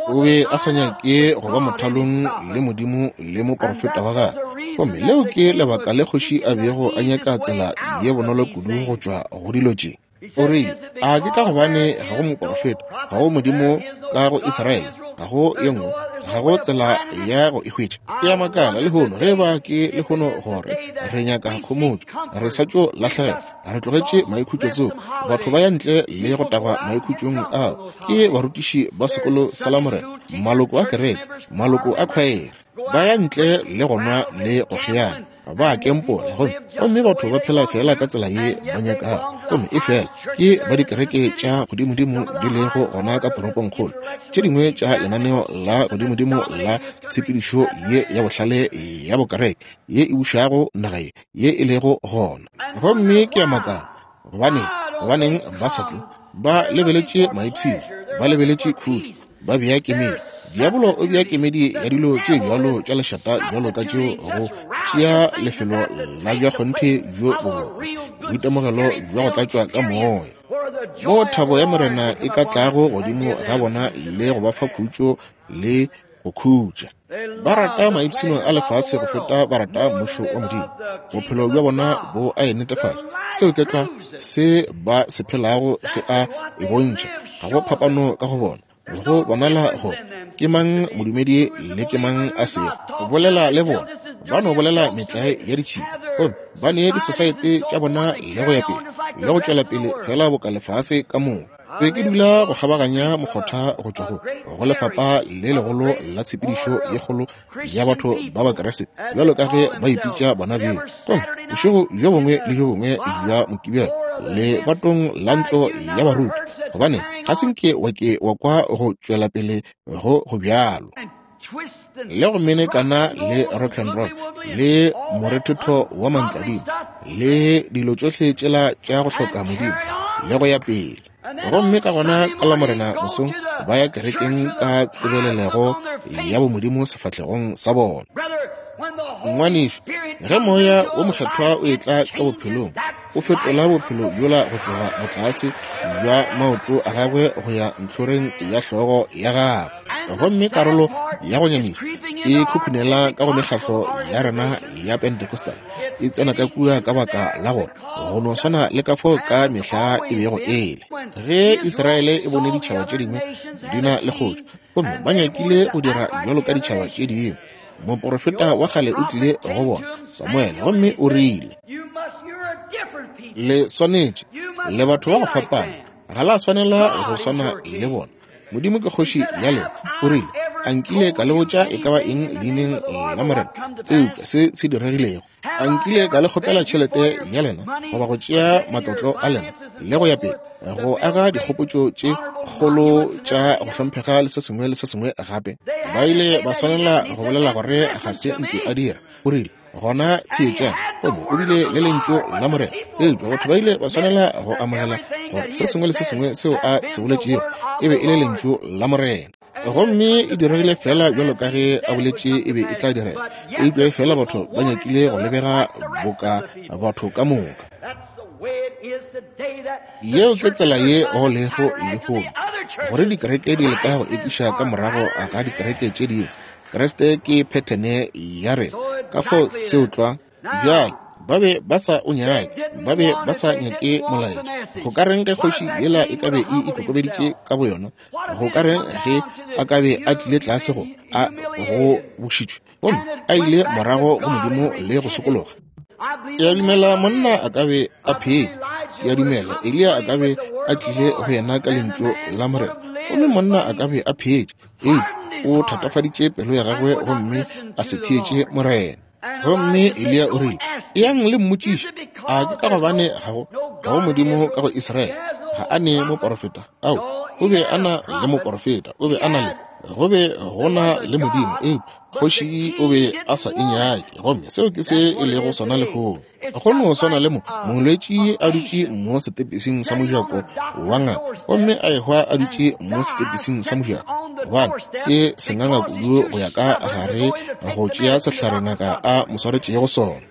A: O be a sa nyake go ba mothalong le Modimo le moporofeta wa gagwe, gomme leo ke lebaka le kgoši a bego a nyaka tsela ye bonolo kudu go tšwa go dilo tše. O rile, a ke ka gobane ga go moporofeta, ga go Modimo ka go Israele, ga go ye nngwe, ga go tsela ya go e hwetša. Ke a makala lehono ge ba ke lehono gore re nyaka khomotšo, re sa tšo lahlegelwa, re tlogetše maikhutšo tsoko. Batho ba ya ntle le go tagwa maikhutšong ao ke barutiši ba sekolo sa Lamorena, maloko a kereke, maloko a khwaere, ba ya ntle le go nwa le go kgeana, ba kempola, gomme gomme batho ba phela fela ka tsela ye ba nyakago. Gomme efela ke ba dikereke tša godimodimo di lego gona ka toropongkgolo, tše dingwe tša lenaneo la godimodimo la tshepedišo ye ya bohlale ya bokereke ye e bušago naga ye ye e lego gona. Gomme ke a makala, gobane gobaneng ba sa tle? Ba lebeletše maipshino, ba lebeletše khutšo, ba bea kemedi. Diabolo o bea kemedi ya dilo tše bjalo tša lešata bjalo ka tšeo go tšea lefelo la bja kgonthe bjo bobotse, boitemogelo bja go tlatšwa ka moya, moo thabo ya Morena e ka tlago godimo ga bona le go ba fa khutšo le go khutša. Ba rata maipshino a lefase go feta ba rata mmušo wa Modimo. Bophelo bja bona bo a e netefatša. Seo ke tlwa se ba se phelago se a e bontšha. Ga go phapano ka go bona. Go bonala gore ke mang modumedi le ke mang a sego. Bolela le bona, ba no bolela metlae ya ditšhila, gomme ba ne disosaete tša bona le go ya pele le go tšwela pele fela boka lefase ka moka. Be ke dula go kgabaganya mokgotha go tšwa go go lefapha le legolo la tshepedišo ye kgolo ya batho ba Bakeresete bjalo ka ge ba ipitša bona beng. Gomme bošego bjo bongwe le bjo bongwe bja Mokibelo lebatong la ntlo ya baruti, gobane ga se nke wa ke wa kwa go tšwela pele go go bjalo le go menekana le rock and roll le morethetho wa mantladimo le dilo tšohle tšela tša go hloka Modimo le go ya pele. Gomme ka gona ka la Morena mosong ba ya kerekeng ka tebelelego ya bomodimo sefahlegong sa bona. Ngwanešu, ge moya wo mokgethwa o etla ka bophelong, o fetola bophelo bjola go tloga botlase bja maoto a gagwe go ya ntlhoreng ya hlogo ya gagwe. Gomme karolo ya go nyamiša e khukhunela ka go mekgahlo ya rena ya Pentecostal, e tsena ka kua ka baka la gore go no swana le ka fao ka mehla e bego ele. Ge Israele e bone ditšhaba tše dingwe di na le kgotšo, gomme ba nyakile go dira bjalo ka ditšhaba tše dingwe, moprofeta wa kgale o tlile go bona, Samuele, gomme o rile, le swanetše, le batho ba go fapana, ga la swanela go swana le bona. Modimo ke kgoši ya lena. O rile, a nkile ka le botša e ka ba eng leineng la Morena, eupša se se diregilego. A nkile ka le kgopela tšhelete ya lena goba go tšea matlotlo a lena le go ya pele, go aga dikgopotšo tše kgolo tša go hlomphega le se sengwe le se sengwe gape. Ba ile ba swanela go bolela gore ga se nke a dira. O rile, gona theetšang, gomme o bile le lentšu la Morena, eupša batho ba ile ba swanela go amogela gore se sengwe le se sengwe seo a se boletšego e be e le lentšu la Morena. Gomme e diregile fela bjalo ka ge a boletše e be e tla direga, eupša fela batho ba nyakile go lebega boka batho ka moka. Yeo ke tsela ye go lego lehono, gore dikereke di leka go ekiša ka morago ga dikereke tše dingwe. Kreste ke phethene ya rena, ka fao seo tlwa. Bjale ba be ba sa o nyake, ba be ba sa nyake molaetša. Go ka reng ge kgoši yela e ka be e ikokobeditše ka boyona? Go ka reng ge a ka be a tlile tlase go a go bušitšwe, gomme a ile morago go Modimo le go sokologa? Ke a dumela monna a ka be a phetše. Ke a dumela Eliya a ka be a tlile go yena ka lentšu la Morena, gomme monna a ka be a phetše, eupša o thatafaditše pelo ya gagwe gomme a se theetše Morena. Gomme Eliya o rile, eyang le mmotšiše, a ke ka gobane ga go ga go Modimo ka go Israele? Ga a ne moporofeta? Ao, o be a na le moporofeta, o be a na le, go be go na le Modimo, eupša kgoši o be a sa e nyake. Gomme seo ke se e lego sona lehono. Go no swana le mo molwetši a dutše mo setepising sa mojako wa ngaka, gomme a ehwa a dutše mo setepising sa mojako, gobane ke senganga kudu go ya ka gare go tšea sehlare ngaka a mo swaretšego sona.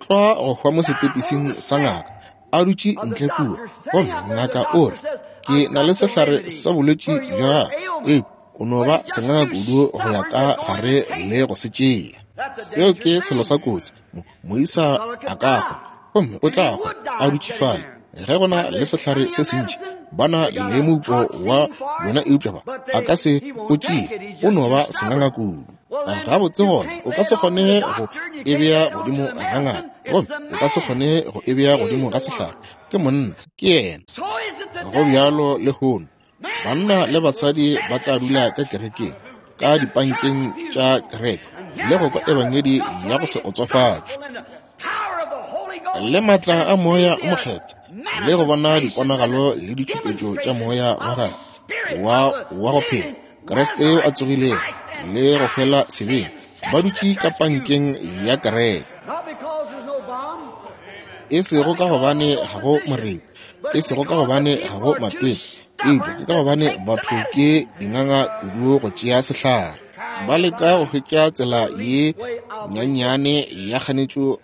A: Tlwa go hwa mo setepising sa ngaka a dutše ntle kua, gomme ngaka o re, ke na le sehlare sa bolwetši bja gago, eupša o no ba senganga kudu go ya ka gare le go se tšea. Seo ke selo sa kotsi. Moisa a ka hwa, gomme o tla hwa a dutše fale. Ge go na le sehlare se sentši, ba na le moupo wa yona, eupša ba a ka se o tšee, o no ba senganga kudu. Gabotse gona o ka se kgone go e bea godimo ga ngaka, gomme o ka se kgone go e bea godimo ga sehlare. Ke monna, ke yena. Go bjalo lehono, banna le basadi ba tla dula ka kerekeng, ka dipankeng tša kereke, le go kwa ebangedi ya go se otsofatšwe. Le maatla a Moya o Mokgethwa, le go bona diponagalo le ditšhupetšo tša Moya wa gagwe wa wa go phela, Kriste yo a tsogilego le go hwela sebeng, ba dutše ka pankeng ya kereke. E sego ka gobane ga go moremi, e sego ka gobane ga go matweng, eupša ke ka gobane batho ke dinganga kudu go tšea sehlare. Ba leka go hwetša tsela ye nyannyane ya kganetšo,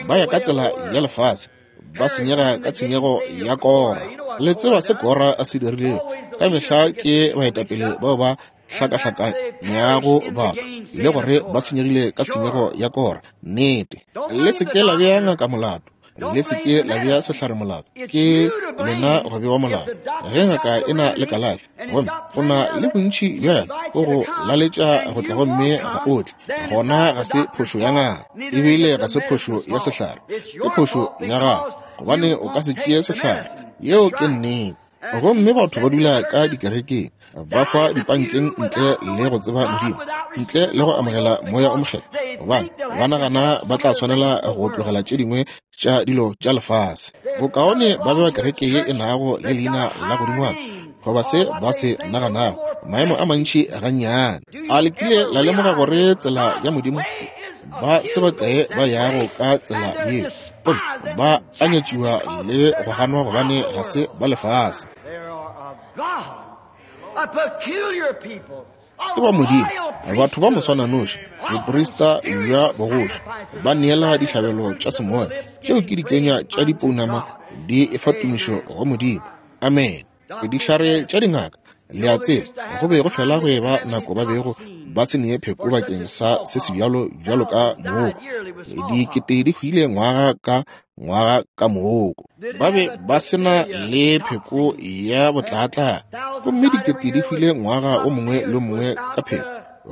A: ba ya ka tsela ya lefase, ba senyega ka tshenyego ya Kora. Le tseba se Kora a se dirilego. Ka mehla ke baetapele bao ba hlakahlakanyago batho le gore ba senyegile ka tshenyego ya Kora. Nnete. Le se ke la bea ngaka molato, le se ke la bea sehlare molato, ke lena go bewa molato. Ge ngaka e na le kalafi gomme o na le bontši bja yona, o go laletša go tla gomme ga o tle, gona ga se phošo ya ngaka, ebile ga se phošo ya sehlare, ke phošo ya gago, gobane o ka se tšee sehlare. Yeo ke nnete. Gomme batho ba dula ka dikerekeng, ba hwa dipankeng ntle le go tseba Modimo, ntle le go amogela Moya o Mokgethwa, gobane ba nagana ba tla swanela go tlogela tše dingwe tša dilo tša lefase. Bokaone ba be ba kereke ye e nago le leina la godingwana, goba se ba se naganago, maemo a mantši gannyane. A le kile la lemoga gore tsela ya Modimo ba se bakae ba yago ka tsela yeo, gomme ba a nyatšiwa le go ganwa gobane ga se ba lefase. Ke ba Modimo, batho ba moswananoši, boprista bja bogoši, ba neela dihlabelo tša semoya, tšeo ke dikenya tša dipounama di efa tumišo go Modimo. Amen. Dihlare tša dingaka, le a tseba, go be go fela go eba nako ba bego ba se nee pheko bakeng sa se sebjalo bjalo ka mooko. Dikete di hwile ngwaga ka ngwaga ka mooko. Ba be ba se na le pheko ya botlaatla, gomme dikete di hwile ngwaga o mongwe le o mongwe ka pheko.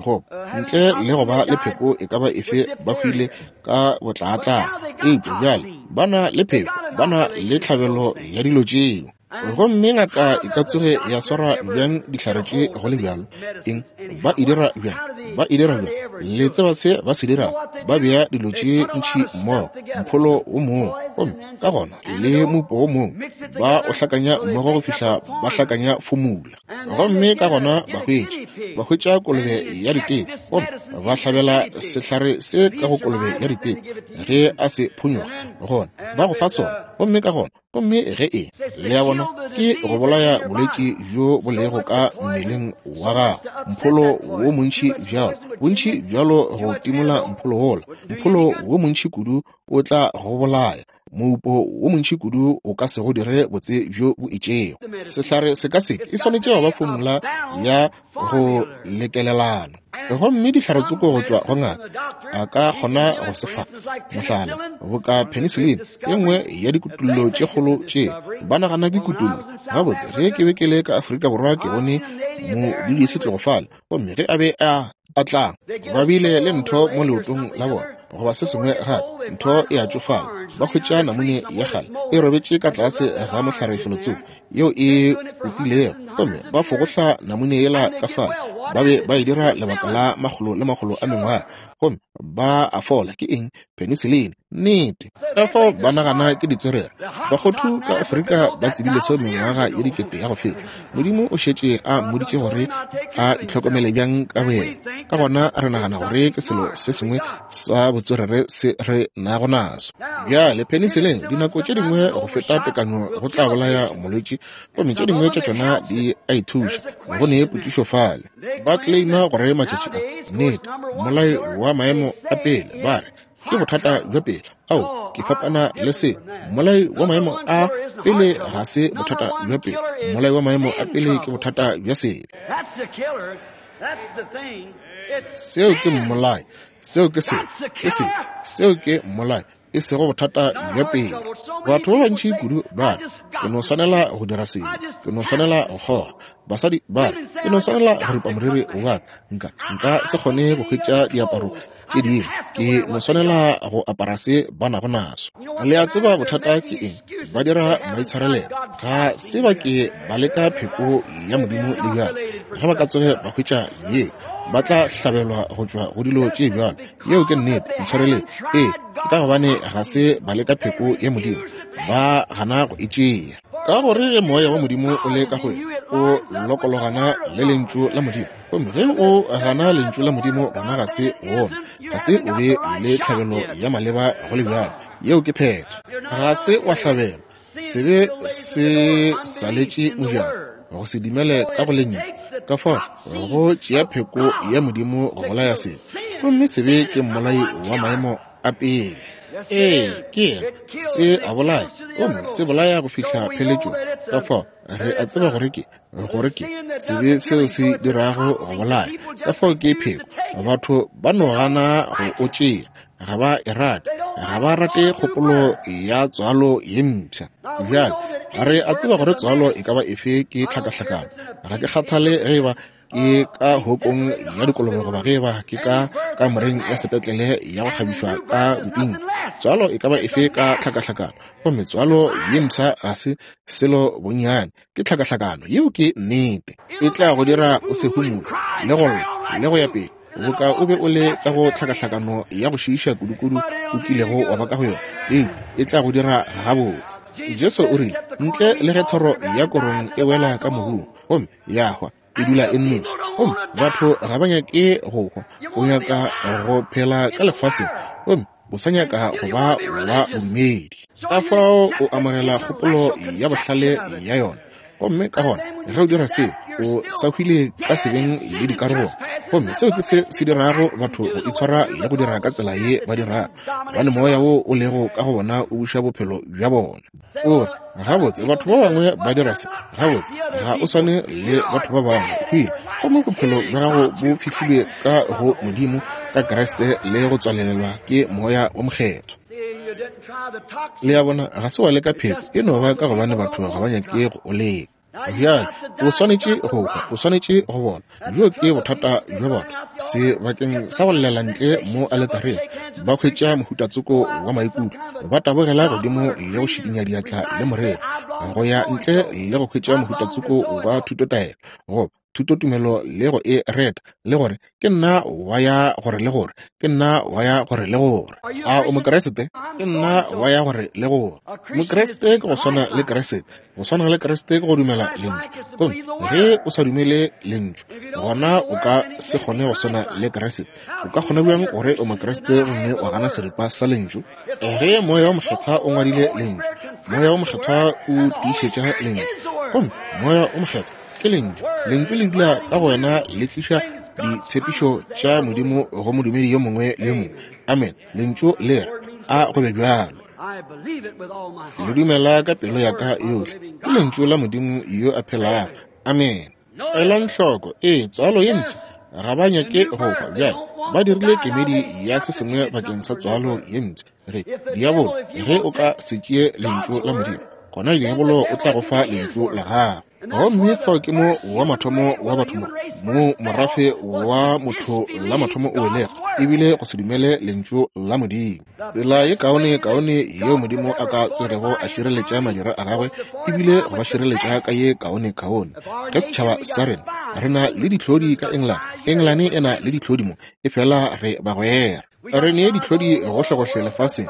A: Goba ntle le go ba le pheko e ka ba efe, ba hwile ka botlaatla. Eupša bjale ba na le pheko, ba na le tlhabelo ya dilo tšeo. Gomme ngaka e ka tsoge ya swara bjang dihlare tše go le bjalo? Eng ba e dira bjang? Ba e dira bjang? Le tseba se ba se dirago? Ba bea dilo tše ntši mmogo, mpholo wo mongwe, gomme ka gona le mopo wo mongwe, ba o hlakanya mmogo go fihla ba hlakanya fomula. Gomme ka gona ba hwetša, ba hwetša kolobe ya diteko, gomme ba hlabela sehlare se ka go kolobe ya diteko. Ge a se phonyoga, gona ba go fa sona, gomme ka gona, gomme ge e le ya bona, ke go bolaya bolwetši bjo bo lego ka mmeleng wa gago, mpholo wo montši bjalo, bontši bjalo go timola mpholo wola. Mpholo wo montši kudu o tla go bolaya, moupo wo montši kudu o ka se go dire botse bjo bo itšego. Sehlare se ka se ke e swanetše go ba fomula ya go lekelelana. Gomme dihlare-tsoko go tšwa go ngaka a ka kgona go se fa. Mohlala, boka penicillin, ye nngwe ya dikutullo tše kgolo tše ba nagana ke kutullo. Gabotse, ge ke be ke le ka Afrika Borwa ke bone modudi setlogo fale, gomme ge a be a a tla, ba bile le ntho mo leotong la bona goba se sengwe gape, ntho e a tšofala. Ba hwetša namune ya kgale e robetše ka tlase ga mohlare felotsoko yeo e utilego, gomme ba fogohla namune yela ka fale. Ba be ba e dira lebaka la makgolo le makgolo a mengwaga, gomme ba a fola. Ke eng? Penicillin. Nnete. Ka fao ba nagana ke ditswerere. Bakgothu ka Afrika ba tsebile seo mengwaga ye dikete ya go feta. Modimo o šetše a mmoditše gore a itlhokomele bjang ka boyena. Ka gona re nagana gore ke selo se sengwe sa botswerere se re nago naso. Bjale penicillin dinako tše dingwe go feta tekanyo go tla bolaya molwetši, gomme tše dingwe tša tšona di a ithuša. Go ne potšišo fale. Ba claima gore matšatši a, nnete, mmolai wa maemo a pele, ba re ke bothata bja pele. Ao, ke fapana le se. Mmolai wa maemo a pele ga se bothata bja pele. Mmolai wa maemo a pele ke bothata bja sebe. Seo ke mmolai. Seo ke se. Ke se. Seo ke mmolai, e sego bothata bja pele. Batho ba bantši kudu ba re, ke no swanela go dira sebe, ke no swanela go kgoga. Basadi ba re, ke no swanela go ripa moriri wa ka, nka nka se kgone go hwetša diaparo tše dingwe, ke no swanela go apara se ba nago naso. Le a tseba bothata ke eng? Ba dira maitshwarelelo. Ga se ba ke ba leka pheko ya Modimo le bjalo. Ge ba ka tsoge ba hwetša yeo, ba tla hlabelwa go tšwa go dilo tše bjalo. Yeo ke nnete, ntshwareleng. Ee, ke ka gobane ga se ba leka pheko ya Modimo, ba gana go e tšea. Ka gore ge moya wa Modimo o le ka go wena, o lokologana le lentšu la Modimo. Gomme ge o gana lentšu la Modimo, gona ga se wona, ga se o be le tlhabelo ya maleba go le bjalo. Yeo ke phetho. Ga se wa hlabelwa. Sebe se saletše mojako, go se dumele ka go lentšu. Ka fao go tšea pheko ya Modimo go bolaya sebe. Gomme sebe ke mmolai wa maemo a pele. Ee, ke yena. Se a bolaya, gomme se bolaya go fihla pheletšong. Ka fao re a tseba gore ke gore ke sebe seo se dirago go bolaya. Ka fao ke pheko. Batho ba no gana go o tšea, ga ba e rate, ga ba rate kgopolo ya tswalo ye mpsha. Bjale re a tseba gore tswalo e ka ba efe ke tlhakahlakano. Ga ke kgathale ge eba ke ka hokong ya dikolobe goba ge eba ke ka kamoreng ya sepetlele ya go kgabišwa ka boping. Tswalo e ka ba efe ka tlhakahlakano, gomme tswalo ye mpsha ga se selo bonnyane, ke tlhakahlakano. Yeo ke nnete. E tla go dira o se humole le go lla le go ya pele, boka o be o le ka go tlhakahlakano ya go šiiša kudukudu o kilego wa ba ka go yona. Ee, e tla go dira gabotse. Jesu o rile, ntle le ge thoro ya korong e wela ka mobung gomme ya hwa, e dula e nnoši. Gomme batho ga ba nyake go hwa. O nyaka go phela ka lefaseng, gomme o sa nyaka go ba wa bodumedi. Ka fao o amogela kgopolo ya bohlale ya yona. Gomme ka gona ge o dira seo, o sa hwile ka sebeng le dikarogong. Gomme seo ke se se dirago batho go itshwara le go dira ka tsela ye ba dirago, gobane moya wo o lego ka go bona o buša bophelo bja bona. O re, gabotse batho ba bangwe ba dira se. Gabotse ga o swane le batho ba bangwe. Hwile, gomme bophelo bja gago bo fihlile ka go Modimo ka Kriste le go tswalelelwa ke Moya wo Mokgethwa. Le a bona, ga se wa leka pheko, e no ba ka gobane batho ga ba nyake go o leka. Bjale o swanetše go hwa, o swanetše go bona. Bjo ke bothata bja bona. Sebakeng sa go llela ntle mo aletareng, ba hwetša mohutatsoko wa maikutlo, ba tabogela godimo le go šikinya diatla le morero, go ya ntle le go hwetša mohutatsoko wa thutotaelo goba thutotumelo le go e reta le gore ke nna wa ya gore le gore, ke nna wa ya gore le gore. A o Mokriste? Ke nna wa ya gore le gore. Mokriste ke go swana le Kriste. Go swana le Kriste ke go dumela lentšu. Gomme ge o sa dumele lentšu, gona o ka se kgone go swana le Kriste. O ka kgona bjang gore o Mokriste gomme wa gana seripa sa lentšu? Ge Moya wo Mokgethwa o ngwadile lentšu, Moya wo Mokgethwa o tiišetša lentšu. Gomme Moya wo Mokgethwa ke lentšu. Lentšu le dula ka go wena, le tliša ditshepišo tša Modimo go modumedi yo mongwe le yo mongwe. Amen. Lentšu le re, a go be bjalo. Le dumela ka pelo ya ka yohle. Ke lentšu la Modimo yo a phelago. Amen. Elang hloko, ee, tswalo ye mpsha ga ba nyake go hwa. Bjale ba dirile kemedi ya se sengwe bakeng sa tswalo ye mpsha. Ge diabolo, ge o ka se tšee lentšu la Modimo, gona diabolo o tla go fa lentšu la gagwe. Gomme fao ke mo wa mathomo wa batho mo, mo morafe wa motho la mathomo o welego, ebile go se dumele lentšu la Modimo. Tsela ye kaone kaone yeo Modimo a ka tsogego a šireletša madira a gagwe, ebile go ba šireletša ka ye kaone kaone. Ge setšhaba sa rena, re na le dihlodi ka England, England e na le dihlodi mo, efela re bagwera. Re ne dihlodi gohlegohle lefaseng,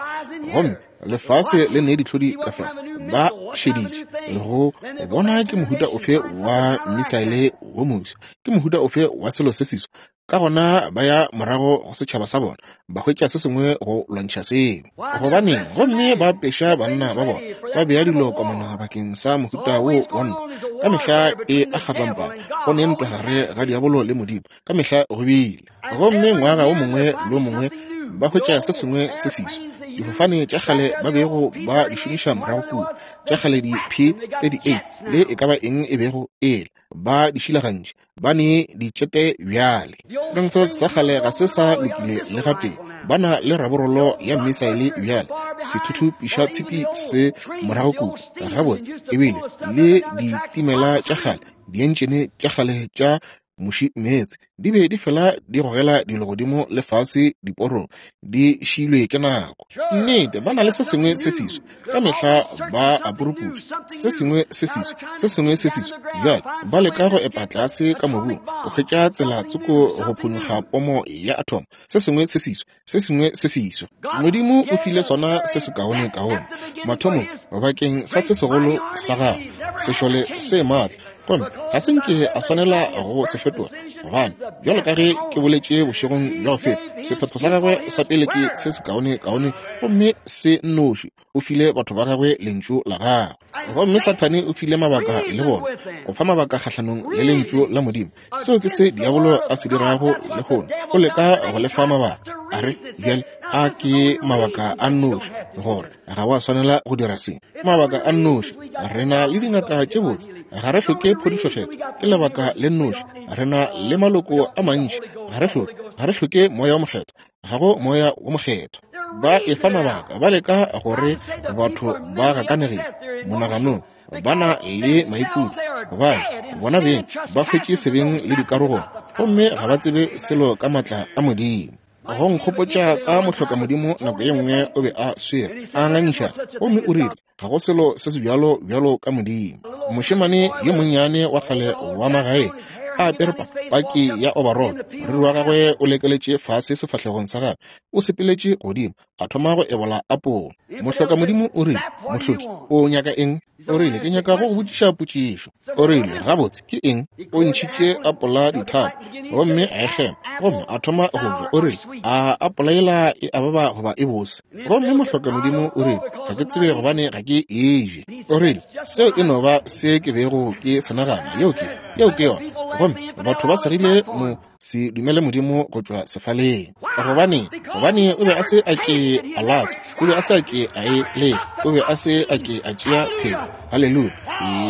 A: gomme lefase le ne dihlodi ka fa. Ba šeditše le go bona ke mohuta ofe wa misaele wo moswa, ke mohuta ofe wa selo se seswa. Ka gona ba ya morago go setšhaba sa bona, ba hwetša se sengwe go lwantšha seo. Gobaneng? Gomme ba peša banna ba bona, ba bea dilo komana bakeng sa mohuta wo wa ntwa. Ka mehla e a kgatlampana, go ne ntwa gare ga diabolo le Modimo, ka mehla go bile. Gomme ngwaga o mongwe le o mongwe ba hwetša se sengwe se seswa. Difofane tša kgale ba bego ba di šomiša morago kua, tša kgale di P thirty-eight le e ka ba eng e bego ele, ba di šilagantše, ba ne ditšete bjale. Springfield sa kgale ga se sa lokile le gatee, ba na le raborolo ya misaele bjale, sethuthupiša tshipi se morago kua, gabotse, ebile le ditimela tša kgale Dientšene tša kgale tša muši meetse di be di fela di gogela dilo godimo le fase diporong, di šilwe ke nako. Nnete, ba na le se sengwe se seswa ka mehla, ba a puruputša se sengwe se seswa, se sengwe se seswa. Bjale ba leka go epa tlase ka mobung go hwetša tsela tsoko go phonyokga pomo ya atom, se sengwe se seswa, se sengwe se seswa. Modimo o file sona se sekaonekaone mathomong bakeng sa se segolo sa gagwe, sešole se maatla, gomme ga se nke a swanela go se fetola, gobane bjalo ka ge ke boletše bošegong bja go feta, sephetho sa gagwe sa pele ke se sekaonekaone gomme se nnoši. O file batho ba gagwe lentšu la gagwe, gomme Sathane o file mabaka le bona go fa mabaka kgahlanong le lentšu la Modimo. Seo ke se diabolo a se dirago lehono, o leka go le fa mabaka, a re bjale a ke mabaka a nnoši gore ga wa swanela go dira se. Mabaka a nnoši, re na le dingaka tše botse, ga re hloke phodišokgetho, ke lebaka le nnoši. Re na le maloko a mantši, ga re hloke ga re hloke moya wa mokgethwa, ga go moya wa mokgethwa. Ba efa mabaka, ba leka gore batho ba gakanegile monaganong, ba na le maikutlo, gobane bona beng ba hwetše sebeng le dikarogong, gomme ga ba tsebe selo ka maatla a Modimo. Go nkgopotša ka mohlokamodimo nako ye nngwe o be a swere a ngangišana, gomme o rile ga go selo se se bjalo bjalo ka Modimo. Mošemane yo monnyane wa kgale wa magae a apere paki ya overall, moriri wa gagwe o lekeletše fase sefahlegong sa gagwe, o sepeletše godimo a thoma go ebola apola. Mohlokamodimo o rile, mohloki, o nyaka eng? O rile, ke nyaka go go botšiša potšišo. O rile, gabotse ke eng? O ntšhitše apola dithapo gomme a e kgema, gomme a thoma go ja. O rile, a apola yela e a baba goba e bose? Gomme mohlokamodimo o rile, ga ke tsebe gobane ga ke e je. O rile, seo e no ba se ke bego ke se nagana, yeo ke yeo ke yona. Gomme batho ba segile mo se dumele Modimo go tšwa sefaleng, gobane gobane o be a se a ke a latswa, o be a se a ke a e leka, o be a se a ke a tšea pheko, haleluya,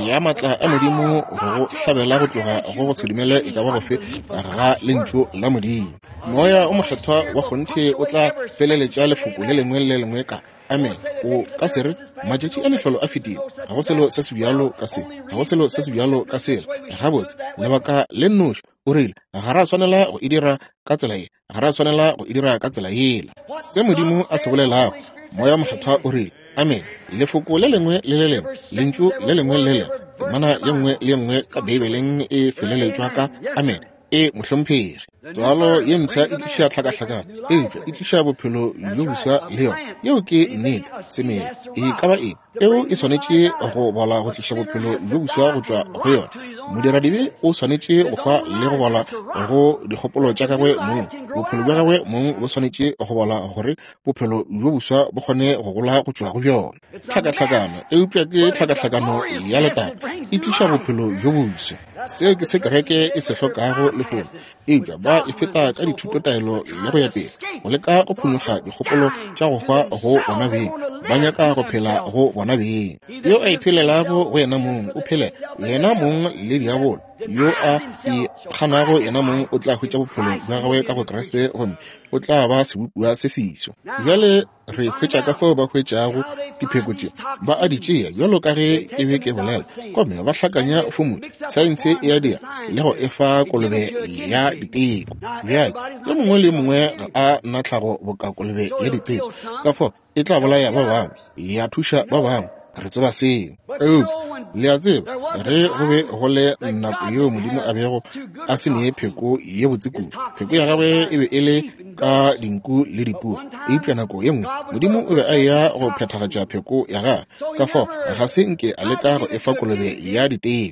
A: ya maatla a Modimo go go hlabela go tloga go go se dumele e ka ba gofe ga lentšu la Modimo. Moya o mokgethwa wa kgonthe o tla feleletša lefoko le lengwe le lengwe ka amen. O ka se re matšatši a mehlolo a fetile, ga go selo se se bjalo ka se, ga go selo se se bjalo ka sela. Gabotse, lebaka le nnoši, o rile, ga ra swanela go e dira ka tsela ye, ga ra swanela go e dira ka tsela yela. Se Modimo a se bolelago, moya mokgethwa o rile amen. Lefoko le lengwe le le lengwe, lentšu le lengwe le lengwe, temana ye nngwe le ye nngwe ka Beibeleng e feleletšwa ka amen. E mohlomphegi. Tswalo ye mpsha e tliša tlhakahlakano, eupša e tliša bophelo bjo boswa le yona. Yeo ke nnete. Semela e ka ba eng, peo e swanetše go bola go tliša bophelo bjo boswa go tšwa go yona. Modiradibe o swanetše go hwa le go bola go dikgopolo tša gagwe mong. Bophelo bja gagwe mong bo swanetše go bola gore bophelo bjo boswa bo kgone go gola go tšwa go bjona. Tlhakahlakano, eupša ke tlhakahlakano ya letago, e tliša bophelo bjo boswa. Seo ke se kereke e se hlokago lehono, eupša ba e feta ka dithutotaelo le go ya pele, go leka go phonyokga dikgopolo tša go hwa go bona beng. Ba nyaka go phela go bona beng. Yo a iphelelago go yena mong o phele yena mong le diabolo. Yo a ikganago yena mong o tla hwetša bophelo bja gagwe ka go Kriste, gomme o tla ba sebopiwa se seswa. Bjale re hwetša ka fao ba hwetšago dipheko tše, ba a di tšea bjalo ka ge ke be ke bolela, gomme ba hlakanya fomula, saense e a dira, le go efa kolobe ya diteko. Bjale yo mongwe le mongwe ga a na tlhago boka kolobe ya diteko, ka fao e tla bolaya ba bangwe, ya thuša ba bangwe. Re tseba seo. Eupša le a tseba, ge go be go le nako yeo Modimo a bego a se nee pheko ye botse kudu, pheko ya gagwe e be e le ka dinku le dipoo, eupša nako ye nngwe Modimo o be a eya go phethagatša pheko ya gagwe. Ka fao ga se nke a leka go efa kolobe ya diteko,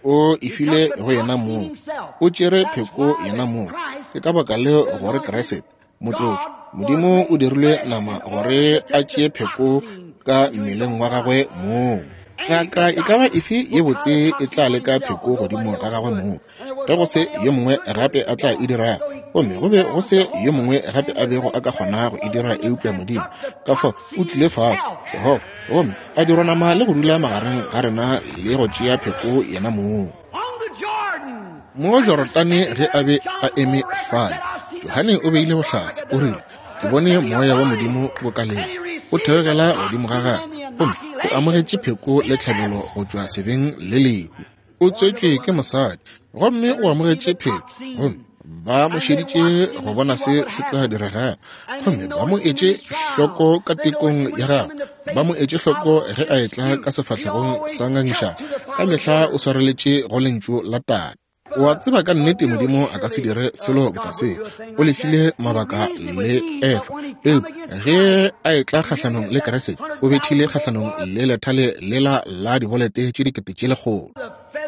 A: o e file go yena mong, o tšere pheko yena mong. Ke ka baka leo gore Kriste motlotšo Modimo o dirilwe nama gore a tšee pheko ka mmeleng wa gagwe mong. Ngaka e ka ba efe ye botse e tla leka pheko godimo ga gagwe mong, ge go se yo mongwe gape a tla e dirago, gomme go be go se yo mongwe gape a bego a ka kgona go e dira eupša Modimo. Ka fao o tlile fase, Jehofa, gomme a dirwa nama le go dula magareng ga rena le go tšea pheko yena mong. Mo Jorodane ge a be a eme fale, Johane o beile bohlatse, o rile, ke bone moya wa Modimo bokaleng o theogela godimo ga gagwe, gomme O amogetše pheko le tlhabelo go tšwa sebeng le lehu. O tswetšwe ke mosadi, gomme o amogetše pheko, gomme ba mo šeditše go bona se se tla diregago, gomme ba mo etše hloko ka tekong ya gagwe, ba mo etše hloko ge a etla ka sefahlegong sa ngangišano. Ka mehla o swareletše go lentšu la Tate. O a tseba ka nnete Modimo a ka se dire selo boka se. O lefile mabaka le Efa, eupša ge a etla kgahlanong le Kriste, o bethile kgahlanong le lethale lela la dibolete tše dikete tše lekgolo.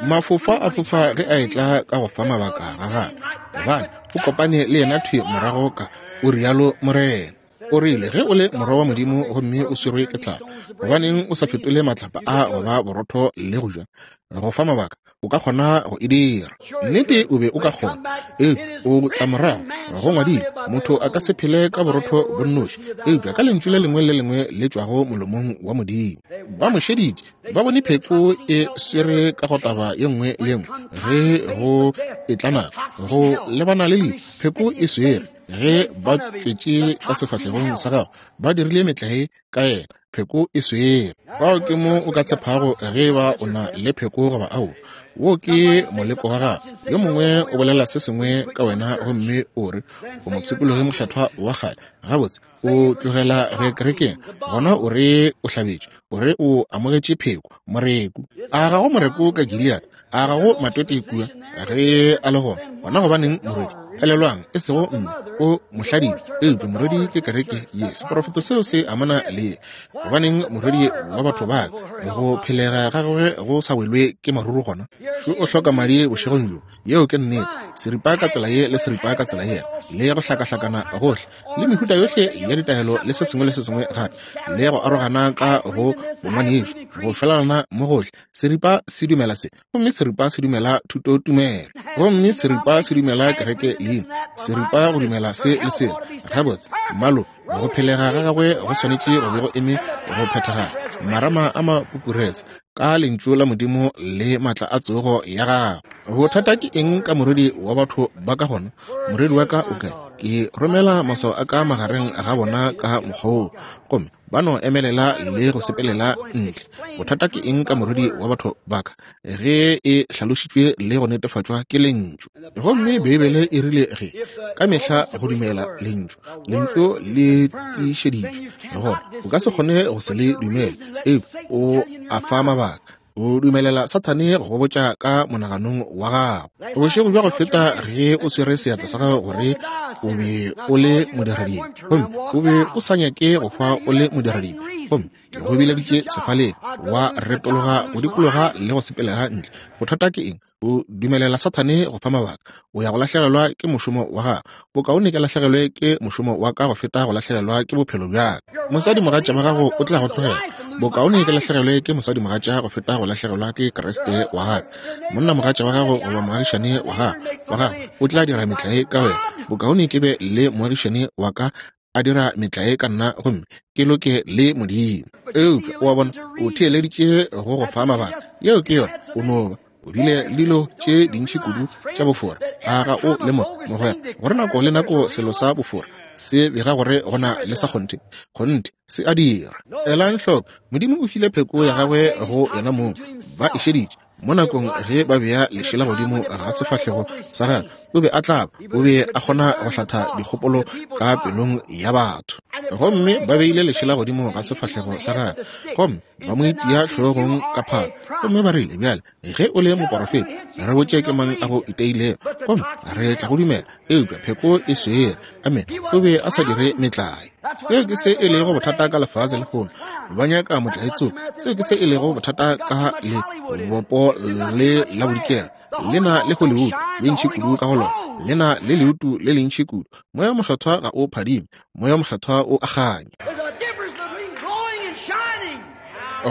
A: Mafofa a fofa ge a etla ka go fa mabaka ga gagwe, gobane o kopane le yena thwi morago ka o rialo Morena. O rile, ge o le morwa wa Modimo gomme o swerwe ke tlala, gobaneng o sa fetole matlapa a go ba borotho le go ja? Go fa mabaka, o ka kgona go e dira. Nnete o be o ka kgona. Eupša o tla morago, go ngwadilwe, motho a ka se phele ka borotho bo nnoši, eupša ka lentšu le lengwe le lengwe le tšwago molomong wa Modimo. Ba mo šeditše, ba bone pheko e swere ka go taba ye nngwe le ye nngwe. Ge go etla nako go lebana le lehu, pheko e swere. Ge ba tšwetše ka sefahlegong sa gagwe, ba dirile metlae ka yena, pheko e swere. Bao ke mo o ka tshepago ge ba o na le pheko goba ao. Wo ke moleko wa gago. Yo mongwe o bolela se sengwe ka wena gomme o re o mopshikologi mokgethwa wa kgale. Gabotse, o tlogela go ya kerekeng, gona o re o hlabetšwe, o re o amogetše pheko, moreku. A ga go moreku ka Gilead? A ga go matwete kua? Ge a le gona, gona gobaneng morwedi? Elelwang, e sego mme, o mohladile, eupša morwedi ke kereke ye. Seprofeto seo se amana le ye. Gobaneng morwedi wa batho ba ka go phelega ga gagwe go sa welwe ke maruru gona? Šo o hloka madi bošegong bjo. Yeo ke nnete. Seripa ka tsela ye le seripa ka tsela yela, le go hlakahlakana gohle, le mehuta yohle ya ditaelo le se sengwe le se sengwe gape, le go arogana ka go bongwanešo, go felelana mo gohle. Seripa se dumela se, gomme seripa se dumela thutotumelo, gomme seripa se dumela kereke leina, seripa go dumela se le sela. Gabotse, mmalo, go phelega ga gagwe go swanetše go be go eme go phethagala, marama a mapupurese ka lentšu la Modimo le matla a tsogo ya gagwe. Bothata ke eng ka morwedi wa batho ba ka gona? Morwedi wa ka o kae? Ke romela maswao a ka magareng ga bona ka mokgwa woo, gomme ba no emelela le go sepelela ntle. Bothata ke eng ka morwedi wa batho ba ka ge e hlalošitšwe le go netefatšwa ke lentšu? Gomme Beibele e rile ge ka mehla go dumela lentšu, lentšu le tiišeditšwe, gona o ka se kgone go se le dumele, eupša o a fa mabaka. O dumelela Sathane go botša ka monaganong wa gago. Bošego bja go feta ge o swere seatla sa gago gore o be o le modiradibe, gomme o be o sa nyake go hwa o le modiradibe, gomme ke go bileditše sefaleng, wa retologa go dikologa le go sepelela ntle. Bothata ke eng? O dumelela Sathane go fa mabaka. O ya go lahlegelwa ke mošomo wa gago. Bokaone ke lahlegelwe ke mošomo wa ka go feta go lahlegelwa ke bophelo bja ka. Mosadimogatša wa gago o tla go tlogela. Bokaone ke lahlegelwe ke mosadimogatša go feta go lahlegelwa ke Kriste wa gago. Monnamogatša wa gago goba moagišane wa gago wa gago o tla dira metlae ka wena. Bokaone ke be le moagišane wa ka a dira metlae ka nna gomme ke loke le Modimo. Eupša o a bona, o theeleditše go go fa mabaka. Yeo ke yona. O no ba o bile le dilo tše dintši kudu tša bofora. A ga o lemoge, mogwera, gore nako le nako selo sa bofora se bega gore go na le sa kgonthe? Kgonthe se a dira. Elang hloko, Modimo o file pheko ya gagwe go yena mong. Ba e šeditše mo nakong ge ba bea lešela godimo ga sefahlego sa gagwe. O be a tlaba, o be a kgona go hlatha dikgopolo ka pelong ya batho. Gomme ba beile lešela godimo ga sefahlego sa gagwe, gomme ba mo itia hlogong ka phalo, gomme ba rile, bjale ge o le moporofeta, re botše ke mang a go iteilego, gomme re tla go dumela. Eupša pheko e swere. Amen. O be a sa dire metlae. Seo ke se e lego bothata ka lefase lehono. Ba nyaka motlae tsoko. Seo ke se e lego bothata ka lebopo le la bodikela. Le na le Hollywood ye ntši kudu ka go lona. Le na le leutu le lentši kudu. Moya mokgethwa ga o phadime. Moya mokgethwa o a kganya.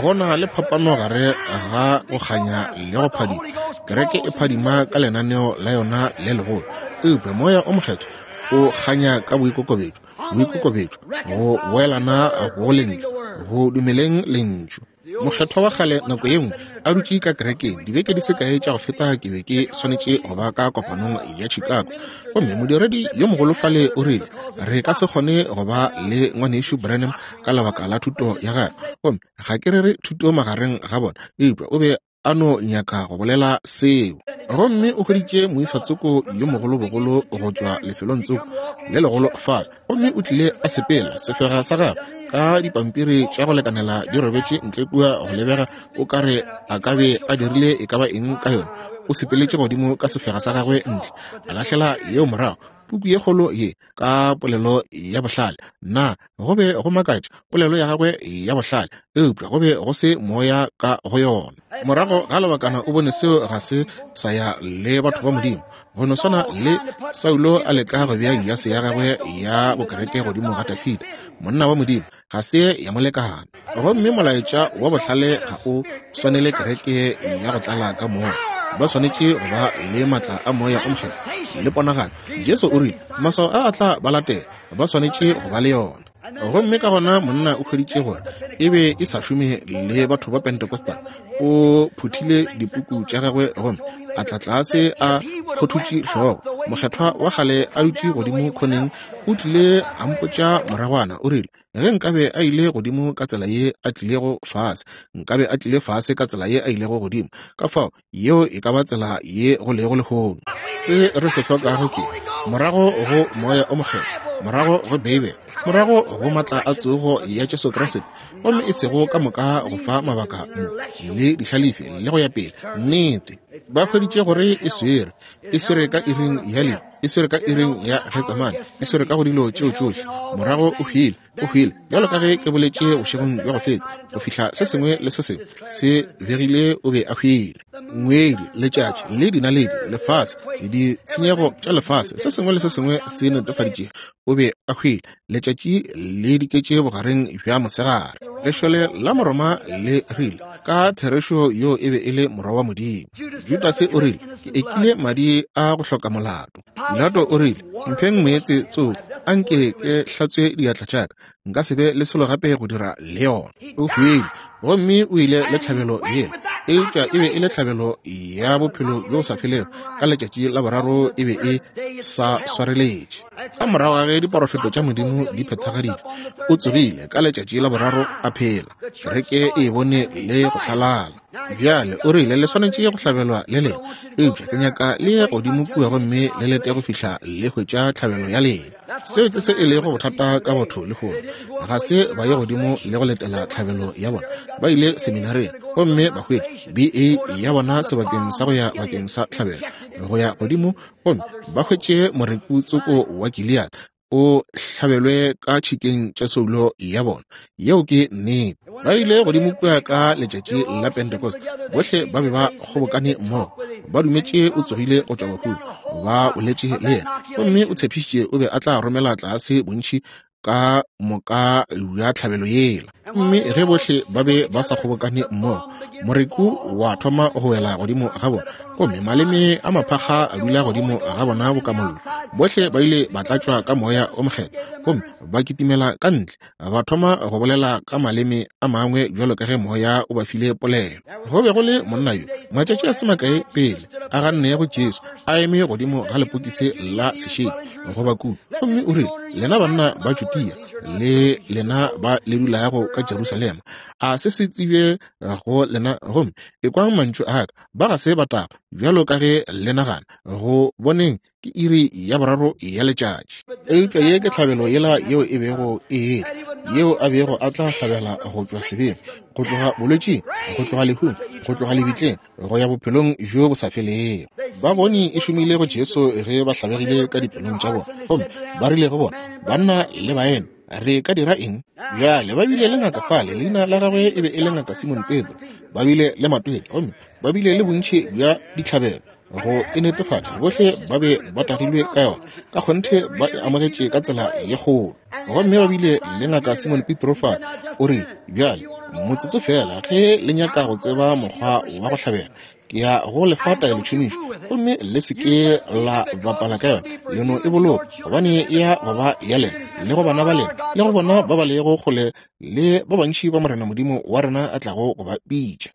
A: Go na le phapano gare ga go kganya le go phadima. Kereke e phadima ka lenaneo la yona le legolo, eupša moya o mokgethwa o kganya ka boikokobetšo, boikokobetšo, go boelana go lentšu, go dumeleng lentšu. Mokgethwa wa kgale nako ye nngwe a dutše ka kerekeng dibeke di se kae tša go feta, ke be ke swanetše go ba ka kopanong ya Chicago, gomme modiredi yo mogolo fale o rile re ka se kgone go ba le ngwanešu Branham ka lebaka la thuto ya gagwe, gomme ga ke rere thuto magareng ga bona, eupša o be a no nyaka go bolela seo. Gomme o hweditše moisatsoko yo mogolobogolo go tšwa lefelong tsoko le legolo fale, gomme o tlile a sepela sefega sa gagwe ka dipampiri tša go lekanela di robetše ntle kua go lebega o ka re a ka be a dirile e ka ba eng ka yona. O sepeletše godimo ka sefega sa gagwe ntle, a lahlela yeo morago, puku ye kgolo ye ka polelo ya bohlale. Na go be go makatša polelo ya gagwe ya bohlale, eupša go be go se moya ka go yona. Morago ga lebakana o bone seo ga se sa ya le batho ba Modimo. Go no swana le Saulo a leka go bea jase ya gagwe ya bokereke godimo ga Dafida, monna wa Modimo, ga se ya molekana. Gomme molaetša wa bohlale ga o swanele kereke ya go tlala ka moya. Ba swanetše go ba le matla a moya o mokgethwa le ponagalo. Jesu o rile maswao a a tla ba latela, ba swanetše go ba le yona. Gomme ka gona monna o hweditše gore e be e sa šome le batho ba Pentecostal. O phuthile dipuku tša gagwe gomme a tla tlase a kgothutše hlogo. Mokgethwa wa kgale a dutše godimo khoneng o tlile a mpotša moragwana, o rile ge nkabe a ile godimo ka tsela ye a tlilego fase, nkabe a tlile fase ka tsela ye a ilego godimo. Ka fao yeo e ka ba tsela ye go lego lehono. Se re se hlokago ke morago go moya o mokgethwa, morago go Beibele, morago go matla a tsogo ya Jesu Kriste, gomme e sego ka moka go fa mabaka mo le dihlalefi le go ya pele. Nnete ba hweditše gore e swere, e swere ka iring ya le, e swere ka iring ya Getsemane, e swere ka go dilo tšeo tšohle. Morago o hwile, o hwile bjalo ka ge ke boletše bošegong bja go feta, go fihla se sengwe le se sengwe se begile o be a hwile. Ngwedi, letšatši le dinaledi, lefase, ditshenyego tša lefase, se sengwe le se sengwe se netefaditše o be a hwile. Letšatši le diketše bogareng bja mosegare. Lešole la Moroma le rile ka therešo yo e be e le morwa wa Modimo. Judase o rile ke ekile madi a go hloka molato. Pilato o rile mpheng meetse tsoko a nke ke hlatswe diatla tša ka, nka se be le selo gape go dira le yona. O hwile gomme o ile le tlhabelo yela, eupša e be e le tlhabelo ya bophelo bjo bo sa felego. Ka letšatši la boraro e be e sa swareletše. Ka morago ga ge diporofeto tša Modimo di phethagaditšwe, o tsogile ka letšatši la boraro a phela. Kereke e bone le go hlalala. Bjale o rile le swanetše go hlabelwa le lena, eupša ke nyaka le ye godimo kua gomme le lete go fihla le hwetša tlhabelo ya lena. Seo ke se e lego bothata ka batho lehono. Ga se ba ye godimo le go letela tlhabelo ya bona. Ba ile seminareng gomme ba hwetša B A ya bona sebakeng sa go ya bakeng sa tlhabelo, go ya godimo gomme ba hwetše moreku tsoko wa Gilead o hlabelwe ka tšhikeng tša soulo ya bona. Yeo ke nnete. Ba ile godimo kua ka letšatši la Pentecost, bohle ba be ba kgobokane mmogo, ba dumetše o tsogile go tšwa bahung, ba boletše le yena, gomme o tshepišitše o be a tla romela tlase bontši ka moka bja tlhabelo yela. Mme ge bohle ba be ba sa kgobokane mmogo, moreku wa thoma go wela godimo ga bona, gomme maleme a maphakga a dula godimo ga bona boka mollo. Bohle ba ile ba tlatšwa ka moya o mokgethwa, gomme ba kitimela ka ntle, ba thoma go bolela ka maleme a mangwe bjalo ka ge moya o ba file polelo. Go be go le monna yo matšatši a se makae pele a gannego Jesu a eme godimo ga lepokisi la sešedi goba kudu, gomme o rile, lena banna ba Judea le lena ba le dulago ka Jerusalema, a se se tsebje go lena, gomme ekwang mantšu a ka, ba ga se ba taba bjalo ka ge le nagana. Go boneng ke iri ya boraro ya letšatši. Eupša ye ke tlhabelo yela yeo e bego e etla, yeo a bego a tla hlabela go tšwa sebeng, go tloga bolwetšing, go tloga lehung, go tloga lebitleng, go ya bophelong bjo bo sa felego. Ba bone e šomile go Jesu ge ba hlabegile ka dipelong tša bona, gomme ba rile go bona, banna le baena, re ka dira eng? Bjale ba bile le ngaka fale, leina la gagwe e be e le ngaka Simon Pedro. Ba bile le matwele, gomme ba bile le bontši bja ditlhabelo go e netefatša. Bohle ba be ba tagilwe ka yona, ka kgonthe ba e amogetše ka tsela ye kgolo. Gomme ba bile le ngaka Simon Petro fa, o rile, bjale motsotso fela, ge le nyaka go tseba mokgwa wa go hlabela, ke ya go lefa taelotšhomišo, gomme le se ke la bapala ka yona, le no e boloka, gobane e ya go ba ya lena. le go bana ba lena, le go bona ba ba lego kgole, le ba bantši ba Morena Modimo wa rena a tlago go ba bitša.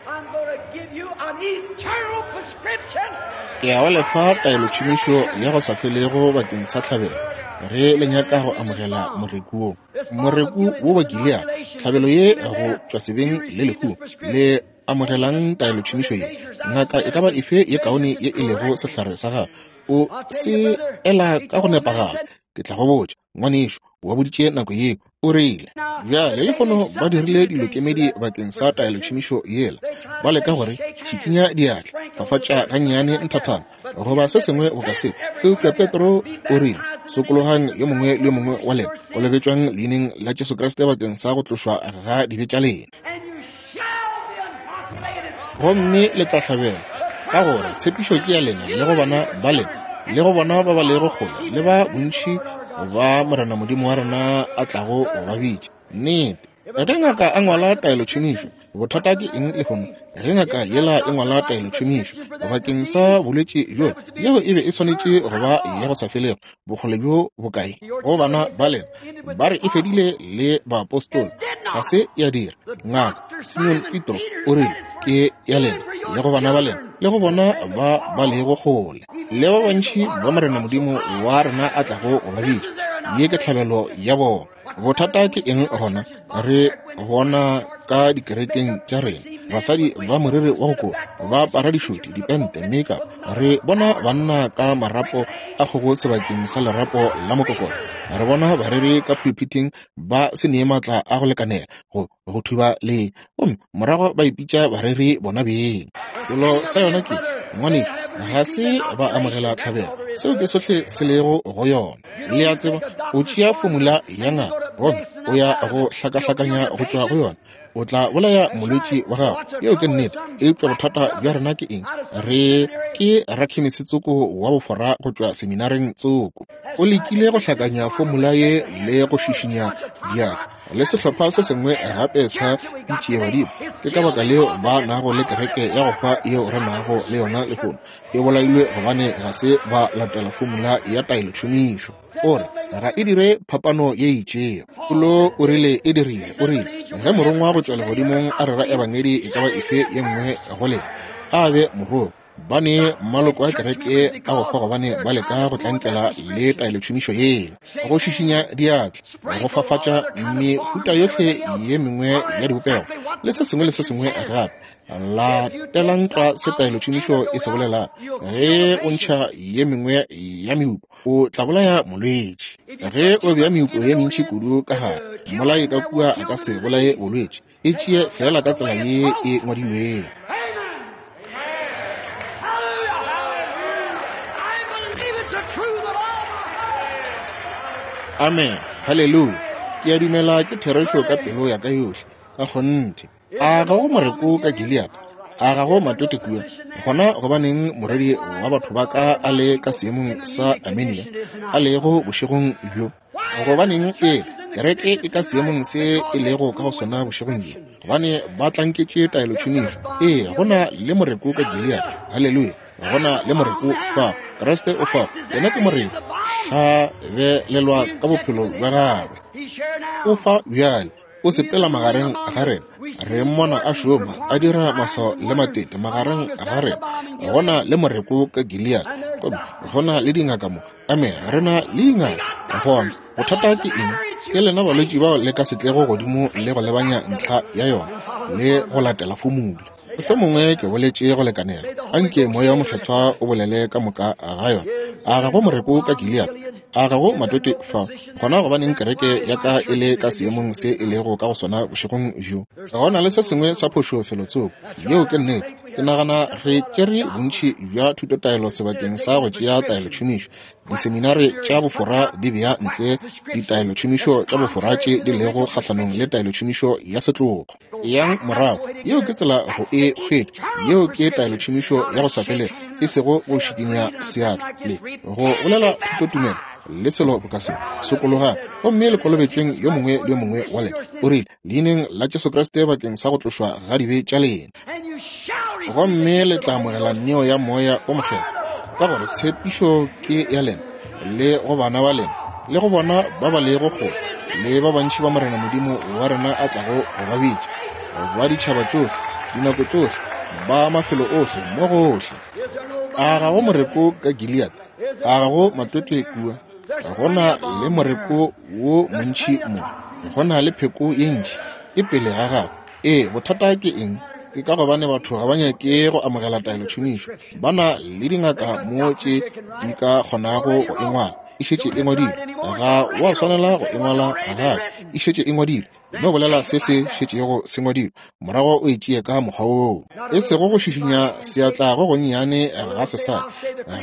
A: Ke ya go lefa taelotšhomišo ya go sa felego bakeng sa tlhabelo, ge le nyaka go amogela moreku wo. Moreku wo wa Gilead, tlhabelo ye go tšwa sebeng le lehu, le amogelang taelotšhomišo ye. Ngaka e ka ba efe ye kaone ye e lego sehlare sa gago, o se ela ka go nepagala. Ke tla go botša, ngwanešu, wa boditše nako yeo, o rile. Bjale lehono ba dirile dilokemedi bakeng sa taelotšhomišo yela. Ba leka gore šikinya diatla, fafatša gannyane nthathana, goba se sengwe boka seo. Eupša Petro o rile, sokologang yo mongwe le yo mongwe wa lena, kolobetšwang leineng la Jesu Kriste bakeng sa go tlošwa ga dibe tša lena, gomme le tla hlabelwa, ka gore tshepišo ke ya lena le go bana ba lena, le go bona ba ba lego kgole, le ba bontši ba Morena Modimo wa rena a tlago go ba bitša. Nnete, ge ngaka a ngwala taelotšhomišo, bothata ke eng lehono? Ge ngaka yela e ngwala taelotšhomišo bakeng sa bolwetši bjo, yeo e be e swanetše go ba ya go sa felego, bokgole bjo bokae go bana ba lena? Ba re e fedile le baapostola, ga se ya dira. Ngaka Simon Petro o rile, ke ya lena le go bana ba lena, le go bona ba ba lego kgole, le ba bantši ba Morena Modimo wa rena a tlago go ba bitša. Ye ke tlhabelo ya bona. Bothata ke eng gona? Re bona ka dikerekeng tša rena basadi ba moriri wa go koba, ba apara dišoti, dipente, makeup. Re bona banna ka marapo a kgogo sebakeng sa lerapo la mokokotlo. Re bona bareri ka pulpiting ba se nee maatla a go lekanela go go thuba le, gomme morago ba ipitša bareri bona beng. Selo sa yona ke, ngwanešu, ga se ba amogela tlhabelo. Seo ke sohle se lego go yona. Le a tseba, o tšea fomula ya ngaka, gomme o ya go hlakahlakanya go tšwa go yona, o tla bolaya molwetši wa gago. Yeo ke nnete. Eupša bothata bja rena ke eng? Re ke rakhemisi tsoko wa bofora go tšwa seminareng tsoko. O lekile go hlakanya fomula ye le go šišinya diatla le sehlopha se sengwe gape sa ditšiebadimo. Ke ka baka leo ba nago le kereke ya go hwa yeo re nago le yona lehono. E bolailwe gobane ga se ba latela fomula ya taelotšhomišo. O re ga e dire phapano ye itšego. Paulo o rile e dirile. O rile ge morongwa go tšwa legodimong a rera ebangedi e ka ba efe ye nngwe go lena, a be morongwa. Ba ne maloko a kereke a go hwa gobane ba leka go tlankela le taelotšhomišo yela, go šišinya diatla, go fafatša mehuta yohle ye mengwe ya dibopego, le se sengwe le se sengwe gape. Latelang tlwa se taelotšhomišo e se bolela. Ge o ntšha ye mengwe ya meupo, o tla bolaya molwetši. Ge o bea meupo ye mentši kudu ka gare, mmolai ka kua a ka se bolaye bolwetši. E tšee fela ka tsela ye e ngwadilwego. Amen. Haleluya. Ke a dumela ke therešo ka pelo ya ka yohle, ka kgonthe. A ga go moreko ka Gilead? A ga go matote kua? Gona gobaneng morwedi wa batho ba ka a le ka seemong sa Armenia a lego bošegong bjo? Gobaneng ee kereke e ka seemong se e lego ka go sona bošegong bjo? Gobane ba tlanketše taelotšhomišo. Ee, go na le moreko ka Gilead. Haleluya. Go na le moreko fa. Kriste o fa. Yena ke moreko. Hlabelelwa ka bophelo bja gagwe. O fa bjale. O sepela magareng ga rena. Re mmona a šoma, a dira maswao le matete magareng ga rena. Go na le moreko ka Gilead. Gomme go na le dingaka mo. Amen. Re na le dingaka. Gona bothata ke eng? Ke lena balwetši bao le ka se tlego godimo le go lebanya ntlha ya yona le go latela fomula. Mohlomongwe ke boletše go lekanela. Anke moya wa mokgethwa o bolele ka moka ga yona. A ga go moreko ka Gilead? A ga go matote fa? Gona gobaneng kereke ya ka e le ka seemong se e lego ka go sona bošegong bjo? Go na le se sengwe sa phošo felotsoko. Yeo ke nnete. Ke nagana re tšere bontši bja thutotaelo sebakeng sa go tšea taelotšhomišo. Diseminare tša bofora di bea ntle ditaelotšhomišo tša bofora tše di lego kgahlanong le taelotšhomišo ya setlogo. Yang morago. Yeo ke tsela go e hwetša. Yeo ke taelotšhomišo ya go sa felego, e sego go šikinya seatla le go bolela thutotumelo le selo boka se. Sokologang gomme le kolobetšweng yo mongwe le yo mongwe wa lena, o rile, leineng la Jesu Kriste bakeng sa go tlošwa ga dibe tša lena, gomme le tla amogela neo ya moya o mokgethwa, ka gore tshepišo ke ya lena le go bana ba lena le go bona ba ba lego kgole le ba bantši ba Morena Modimo wa rena a tlago go ba bitša, ba ditšhaba tšohle, dinako tšohle, ba mafelo ohle, mo gohle. A ga go moreko ka Gilead? A ga go matwetwe kua? Go na le moreko wo montši mo, go na le pheko ye ntši e pele ga gago. Ee, bothata ke eng? Ke ka gobane batho ga ba nyake go amogela taelotšhomišo. Ba na le dingaka mo tše di ka kgonago go e ngwala. E šetše e ngwadilwe. Ga wa swanela go e ngwala gape. E šetše e ngwadilwe. E no bolela se se šetšego se ngwadilwe, morago o e tšee ka mokgwa woo. E sego go šišinya seatla go gonnyane ga sesadi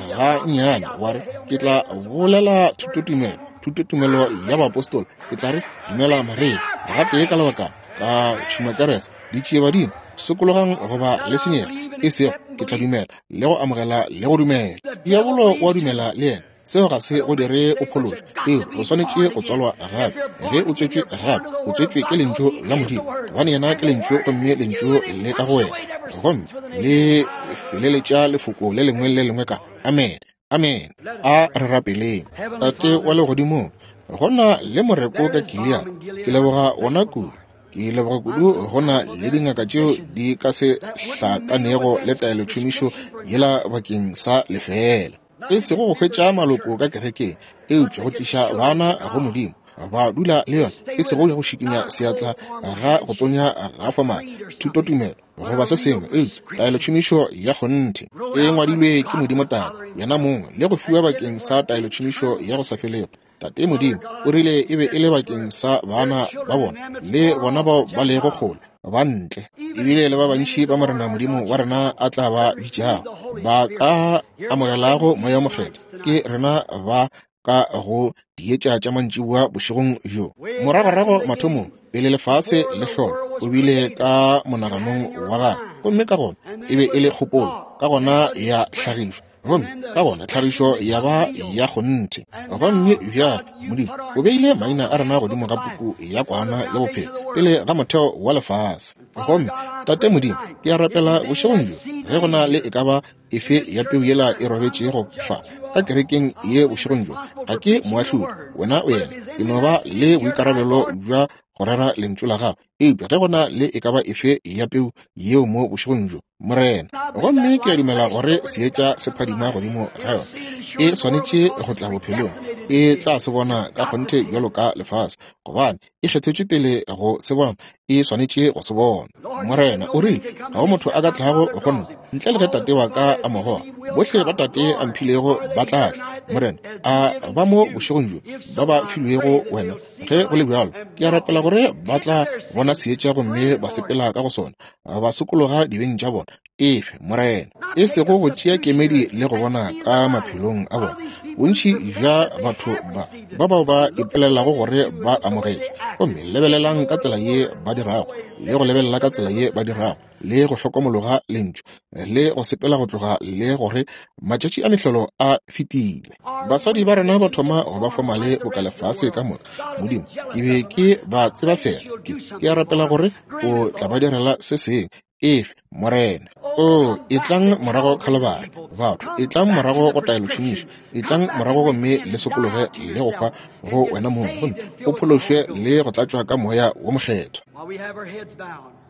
A: ga nnyane, wa re, ke tla bolela thutotumelo, thutotumelo ya baapostola. Ke tla re, dumela Maria, gatee ka lebakana, ka tšhumakerese, ditšie badimo, sokologang goba le senyega. E sego, ke tla dumela le go amogela le go dumela. Diabolo wa dumela le yena. Seo ga se go dire o phološwe. Eo o swanetše go tswalwa gape. Ge o tswetšwe gape, o tswetšwe ke lentšu la Modimo, gobane yena ke lentšu, gomme lentšu le ka go wena, gomme le feleletša lefoko le lengwe le lengwe ka amen. Amen. A re rapeleng. Tate wa legodimong, go na le moreko ka Gilead. Ke leboga wona kudu. Ke leboga kudu go na le dingaka tšeo di ka se hlakanego le taelotšhomišo yela bakeng sa lefela. E sego go hwetša maloko ka kerekeng, eupša go tliša bana go Modimo, ba dula le yona. E sego go šikinya seatla ga go tonya ga fomala, thutotumelo goba se sengwe, eupša taelotšhomišo ya kgonthe e ngwadilwe ke Modimo Tate yena mongwe, le go fiwa bakeng sa taelotšhomišo ya go sa felego. Tate Modimo o rile e be e le bakeng sa bana ba bona le bona bao ba lego kgole ba ntle, ebile le ba bantši ba Morena Modimo wa rena a tla ba bitšago, ba ka amogelago Moya o Mokgethwa. Ke rena ba ka go dietša tša mantšiboa bošegong bjo. Moragorago mathomong, pele lefase le hlola, o bile ka monaganong wa gagwe, gomme ka gona e be e le kgopolo, ka gona ya hlagišwa, gomme ka gona tlhagišo ya ba ya kgonthe. Gomme bjale Modimo o beile maina a rena godimo ga puku ya kwana ya bophelo pele ga motheo wa lefase. Gomme Tate Modimo, ke a rapela bošegong bjo, ge go na le e ka ba efe ya peu yela e robetšego fa ka kerekeng ye bošegong bjo, ga ke moahlodi, wena o yena. Ke no ba le boikarabelo bja go rera lentšu la gago. Eupša ge go na le e ka ba efe ya peu yeo mo bošegong bjo, Morena, gomme ke a dumela gore seetša se phadima godimo ga yona, e swanetše go tla bophelong, e tla se bona ka kgonthe bjalo ka lefase, gobane e kgethetšwe pele go se bona, e swanetše go se bona. Morena o rile, ga go motho a ka tlago go nna ntle le ge Tate wa ka a mo goga. Bohle ba Tate a mphilego ba tla tla. Morena, a ba mo bošegong bjo ba ba filwego wena? Ge go le bjalo, ke a rapela gore ba tla bona seetša gomme ba sepela ka go sona, ba sokologa dibeng tša bona. Efe, Morena, e sego go tšea kemedi le go bona ka maphelong a bona. Bontši bja batho ba ba bao ba ipolelago gore ba amogetše, gomme lebelelang ka tsela ye ba dirago, le go lebelela ka tsela ye ba dirago, le go hlokomologa lentšu, le go sepela go tloga, le gore matšatši a mehlolo a fetile. Basadi ba rena ba thoma go ba fomale boka lefase ka moka. Modimo, ke be ke ba tseba fela. Ke, ke a rapela gore o tla ba direla se sengwe. Efe, Morena. O, etlang morago Khalibari, batho, etlang morago go taelotšhomišo, etlang morago gomme le sokologe le go hwa go wena mong, gomme o phološwe le go tlatšwa ka Moya wo Mokgethwa.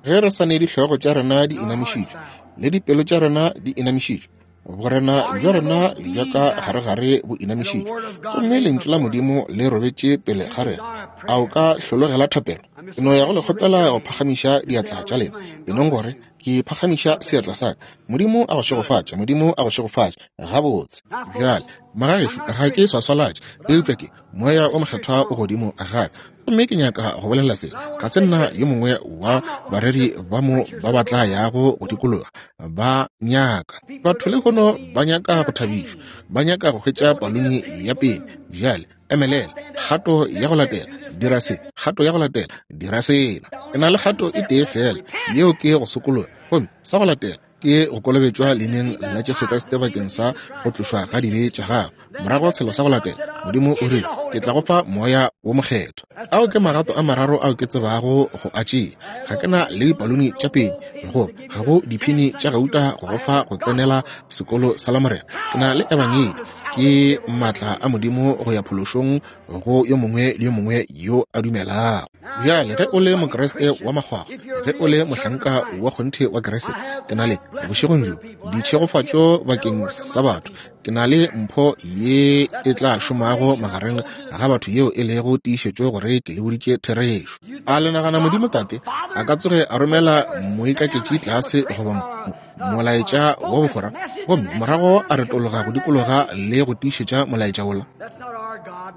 A: Ge re sa ne dihlogo tša rena di inamišitšwe le dipelo tša rena di inamišitšwe, borena bja rena bja ka garegare bo inamišitšwe, gomme lentšu la Modimo le robetše pele ga rena, a o ka hlologela thapelo? Ke no ya go le kgopela go phagamiša diatla tša lena, e nong gore ke phagamiša seatla sa ka. Modimo a go šegofatše, Modimo a go šegofatše. Gabotse. Bjale, magagešo, ga ke swaswalatše, eupša ke Moya o Mokgethwa o godimo ga ka, gomme ke nyaka go bolela se. Ga se nna yo mongwe wa bareri ba mo ba ba tla yago go dikologa. Ba nyaka batho lehono ba nyaka go thabišwa, ba nyaka go hwetša paluni ya pele. Bjale emelela, kgato ya go latela, dira se, kgato ya go latela, dira sela. Ke na le kgato e tee fela, yeo ke go sokologa, gomme sa go latela ke go kolobetšwa leineng la Jesu Kriste bakeng sa go tlošwa ga dibe tša gago. Morago selo sa go latela, Modimo o rile, ke tla go fa Moya wo Mokgethwa. Ao ke magato a mararo ao ke tsebago go a tšea. Ga ke na le dipalone tša pedi, goba ga go diphini tša gauta go go fa go tsenela sekolo sa Lamorena. Ke na le ebangedi, ke maatla a Modimo go ya phološong go yo mongwe le yo mongwe yo a dumelago. Bjale ge o le Mokriste wa makgwakgwa, ge o le mohlanka wa kgonthe wa Kriste, ke na le bošegong bjo ditšhegofatšo bakeng sa batho. Ke na le mpho ye e tla šomago magareng ga batho yeo e lego tiišetšo gore ke le boditše therešo. A le nagana Modimo Tate a ka tsoge a romela moikaketši tlase goba molaetša wa bofora, gomme morago a retologa go dikologa le go tiišetša molaetša wola?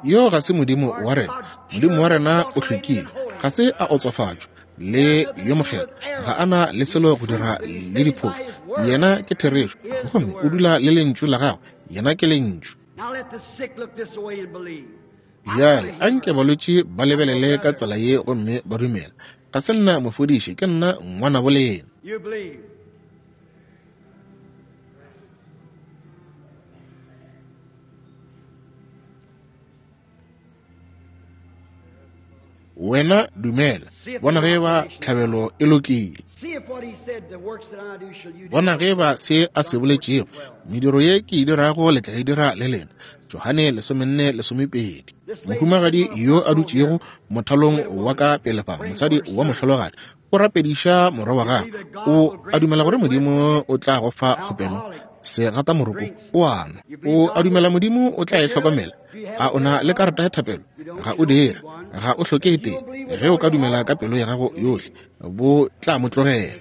A: Yo ga se Modimo wa rena. Modimo wa rena o hlwekile, ga se a otswafatšwa, le yo mokgethwa, ga a na le selo go dira le diphošo. Yena ke therešo, gomme o dula le lentšu la gagwe. Yena ke lentšu. Bjale anke balwetši ba lebelele ka tsela ye gomme ba dumela. Ga se nna mofodiši, ke nna ngwanabo lena. Wena dumela, bona ge ba tlhabelo e lokile. Bona ge ba se a se boletšego, mediro ye ke e dirago le tla e dira le lena. Johane lesomenne lesomepedi. Mohumagadi yo a dutšego mothalong wa ka pele fa, mosadi wa mohlologadi, o rapediša morwa wa gagwe. O a dumela gore Modimo o tla go fa kgopelo? Se gata moroko o a nwa. O a dumela Modimo o tla e hlokomela? A o na le karata ya thapelo? Ga o dire, ga o hloke e tee. Ge o ka dumela ka pelo ya gago yohle, bo tla mo tlogela.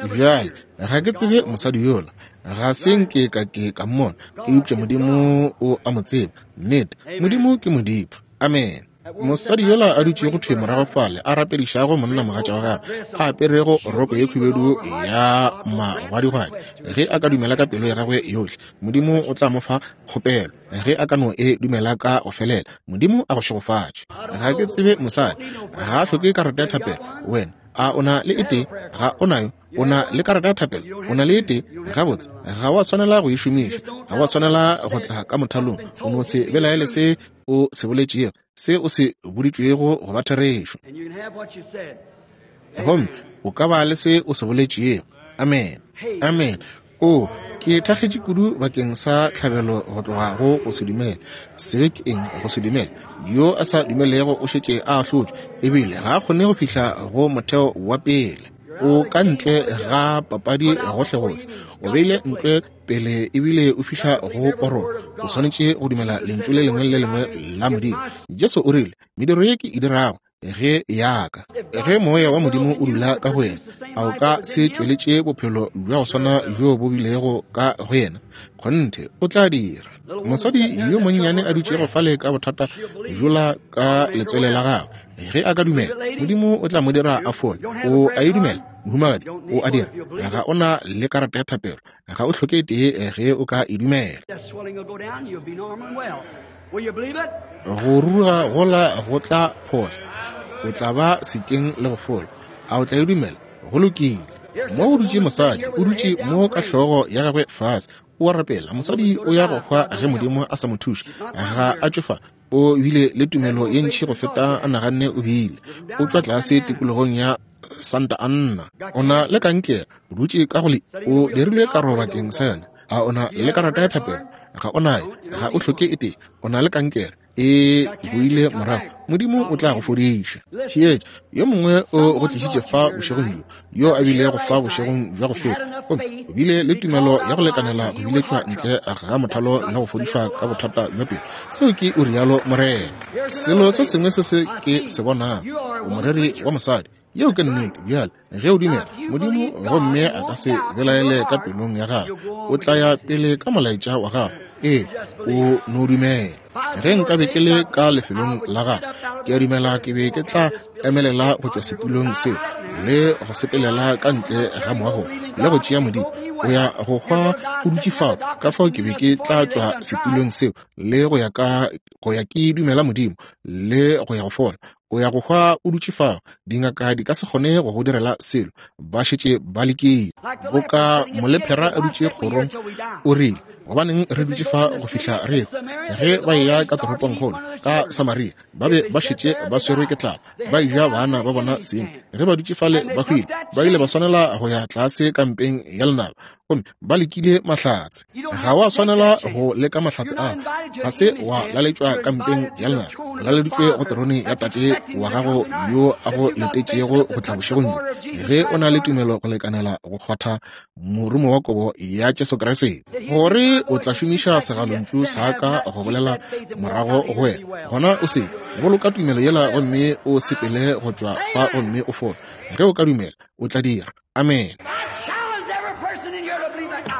A: Bjale ga ke tsebe mosadi yola, ga se nke ka ke ka mmona, eupša Modimo o a mo tseba. Nnete, Modimo ke Modimo. Amen. Mosadi yola a dutšego thwe morago fale a rapedišago monnamogatša wa gagwe, a aperego roko ye khubedu ya magwadigwadi, ge a ka dumela ka pelo ya gagwe yohle, Modimo o tla mo fa kgopelo. Ge a ka no e dumela ka go felela, Modimo a go šegofatše. Ga ke tsebe mosadi, ga a hloke karata ya thapelo. Wena a o na le e tee? Ga o nayo. O na le karata ya thapelo? O na le e tee? Gabotse, ga wa swanela go e šomiša, ga wa swanela go tla ka mothalong. O no se belaele se o se boletšego, se o se boditšwego go ba therešo, gomme o ka ba le se o se boletšego. Amen. Amen. O, ke thakgetše kudu bakeng sa tlhabelo go tloga go go se dumele. Sebe ke eng? Go se dumele. Yo a sa dumelego o šetše a ahlotšwe, ebile ga a kgone go fihla go motheo wa pele. O ka ntle ga papadi gohlegohle, o beile ntle pele ebile o fihla go korong. O swanetše go dumela lentšu le lengwe le lengwe la Modimo. Jesu o rile, mediro ye ke e dirago ge yaka. Ge moya wa Modimo o dula ka go yena, a o ka se tšweletše bophelo bja go swana bjo bo bilego ka go yena? Kgonthe o tla dira. Mosadi yo monnyane a dutšego fale ka bothata bjola ka letswele la gagwe, ge a ka dumela, Modimo o tla mo dira a fole. O a e dumela, mohumagadi? O a dira. Ga o na le karata ya thapelo, ga o hloke tee ge o ka e dumela. Go ruruga gola go tla phohla, o tla ba sekeng le go fola. A o tla e dumela? Go lokile. Mo go dutše mosadi, o dutše mo ka hlogo ya gagwe fase, o a rapela. Mosadi o ya go hwa ge Modimo a sa mo thuše. Ga a tšwe fa, o bile le tumelo ye ntši go feta a naganne o bile. O tšwa tlase tikologong ya Santa Anna. O na le kankere, o dutše ka go le, o dirilwe karo bakeng sa yona. A o na le karata ya thapelo? Ga o nayo, ga o hloke e tee. O na le kankere, e boile morago. Modimo o tla go fodiša. Theetša, yo mongwe o go tlišitše fa bošegong bjo, yo a bilego fa bošegong bja go feta, gomme o bile le tumelo ya go lekanela go biletšwa ntle ga mothalo le go fodišwa ka bothata bja pelo. Seo ke o rialo Morena. Selo se sengwe se se ke se bonago, o moreri wa mosadi. Yeo ke nnete. Bjale ge o dumela Modimo gomme a ka se belaele ka pelong ya gago, o tla ya pele ka molaetša wa gago. Ee, o no dumela. Ge nkabe ke le ka lefelong la gago, ke a dumela ke be ke tla emelela go tšwa setulong seo le go sepelela ka ntle ga moago le go tšea Modimo. O ya go hwa o dutše fao, ka fao ke be ke tla tšwa setulong seo le go ya ka go ya ke dumela Modimo le go ya go fola. O ya go hwa o dutše fao, dingaka di ka se kgone go go direla selo, ba šetše ba lekile. Boka molephera a dutše kgorong, o rile, Gobaneng re dutše fa go fihla re ehwa? Ge ba eya ka toropongkgolo ka Samaria, ba be ba šetše ba swerwe ke tlala, ba eja bana ba bona seng. Ge ba dutše fale ba hwile, ba ile ba swanela go ya tlase kampeng ya lenaba, gomme ba lekile mahlatse. Ga wa swanela go leka mahlatse a, ga se wa laletšwa kampeng ya lenaba, o laleditšwe go terone ya Tate wa gago yo a go letetšego go tla bošegong bjo. Ge o na le tumelo go lekanela go kgwatha morumo wa kobo ya Jesu Kriste, gore o tla šomiša segalontšu sa ka go bolela morago go wena, gona o se boloka tumelo yela gomme o sepele go tšwa fa gomme o fole. Ge o ka dumela, o tla dira. Amen.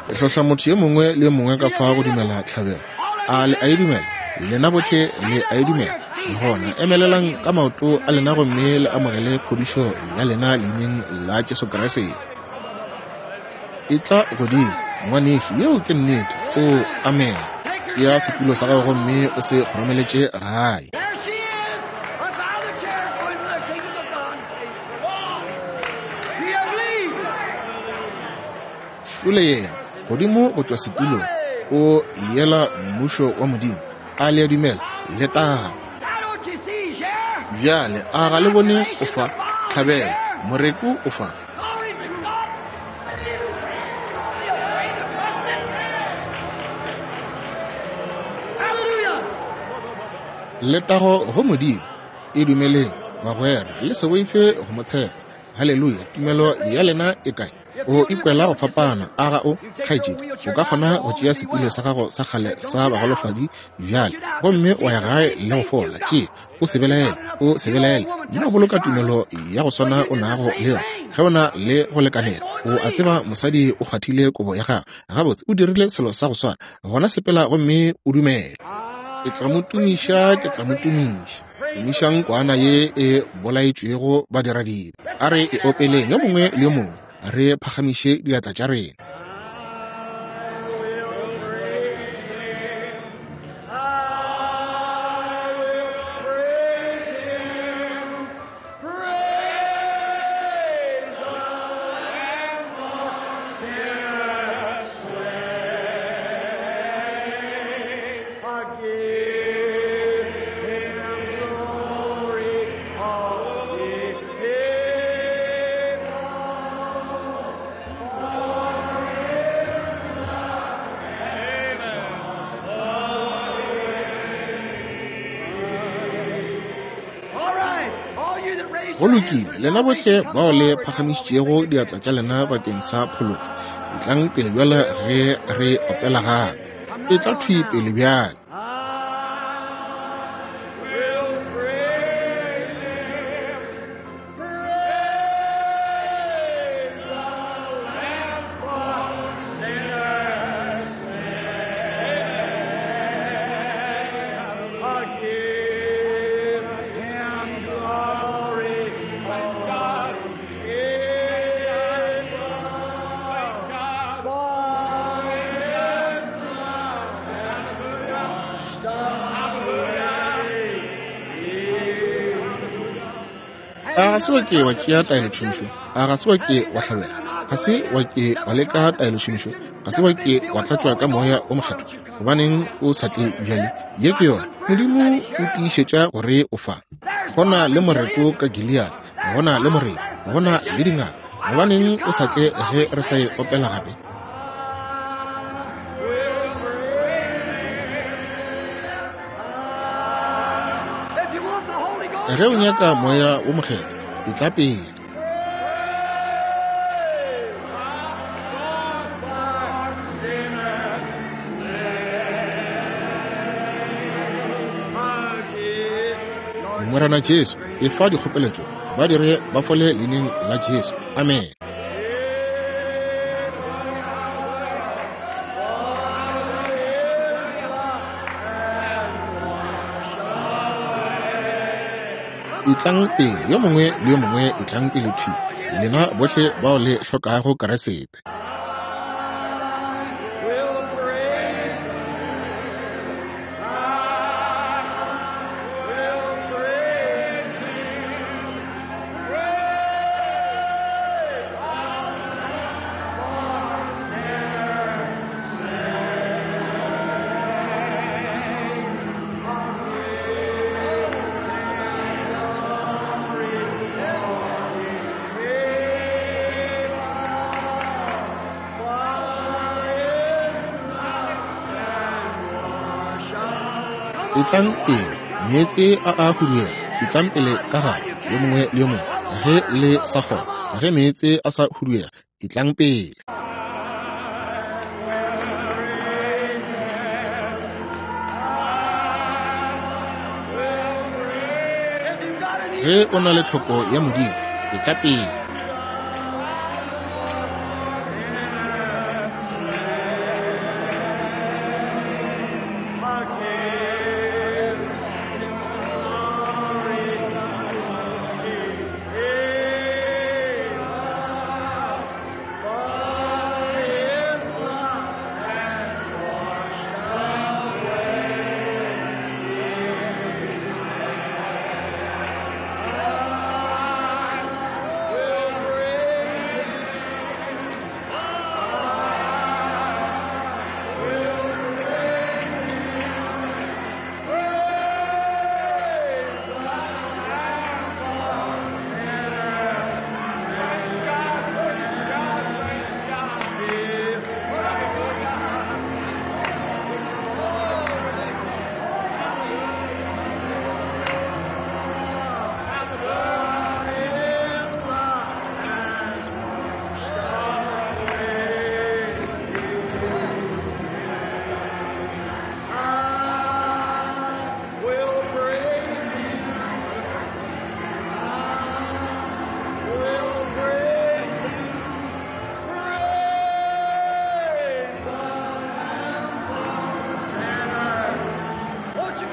A: Ke hlohla motho yo mongwe le yo mongwe ka fa go dumela tlhabelo. A le a e dumela? Lena bohle le a e dumela? Gona emelelang ka maoto a lena gomme le amogele phodišo ya lena leineng la Jesu Kriste. E tla godimo, ngwanešu, yeo ke nnete. O amen. Tšea setulo sa gago gomme o se kgoromeletše gae.
B: There she is, up out of the chair, going to the kingdom of God. Do you believe?
A: Šole yena godimo go tšwa setulong, o yela mmušo wa Modimo. A le a dumela? Letago.
B: Now don't you see, share?
A: Bjale a ga le bone o fa tlhabelo, moreku o fa.
B: Glory to God. Don't be afraid to trust it. Hallelujah.
A: Letago go Modimo. E dumeleng, bagwera, le se boife go mo tshepa. Haleluya. Tumelo ya lena e kae? O ikwela go fapana, a ga o, kgaetšedi? O ka kgona go tšea setulo sa gago sa kgale sa bagolofadi bjale gomme wa ya gae le go fola. Tšea, o se belaele, o se belaele. Nno boloka tumelo ya go swana o nago le yona. Ge o na le go lekanela, o a tseba mosadi o kgwathile kobo ya gago. Gabotse, o dirile selo sa go swana. Gona sepela gomme o dumele. Ke tla mo tumiša, ke tla mo tumiša. Tumišang kwana ye e bolaetšwego badiradibe. A re e opeleng yo mongwe le yo mongwe, re phagamiše diatla tša rena.
B: I will praise Him. Praise the Lamb for sinners slain. I give Him glory, all ye people. All right, all you that raised
A: Go
B: your
A: lokile,
B: hands for
A: lena bohle
B: salvation, come
A: bao le
B: forward now while
A: phagamišitšego
B: we
A: diatla tša lena bakeng sa phološo, etlang pele bjale ge re opela gape. E tla thwi pele bjale.
B: I will praise Him. Praise the Lamb for sinners slain. I give Him glory, thank God. Give God for His love
A: A ga se wa ke wa tšea taelotšhomišo? A ga se wa ke wa hlabela? Ga se wa ke wa leka taelotšhomišo? Ga se wa ke wa tlatšwa ka moya o mokgethwa? Gobaneng o sa tle bjale? Ye ke yona. Modimo o tiišetša gore o fa. Go na le moreko ka Gilead, go na le moreko, go na le dingaka. Gobaneng o sa tle ge re sa e opela gape?
B: If you want the Holy Ghost,
A: Ge o nyaka moya wo mokgethwa, etla pele. Morena Jesu, efa dikgopeletšo, ba dire ba fole leineng la Jesu. Amen. Etlang pele, yo mongwe le yo mongwe etlang pele thwi, lena bohle bao le hlokago Kriste.
B: Will praise I will praise Him. Praise God for sinners slain.
A: Etlang pele, meetse a a huduega. Etlang pele ka gare, yo mongwe le yo mongwe. Ge le sa kgona, ge meetse a sa huduega, etlang pele. Ge o na le tlhoko ya Modimo, etla pele.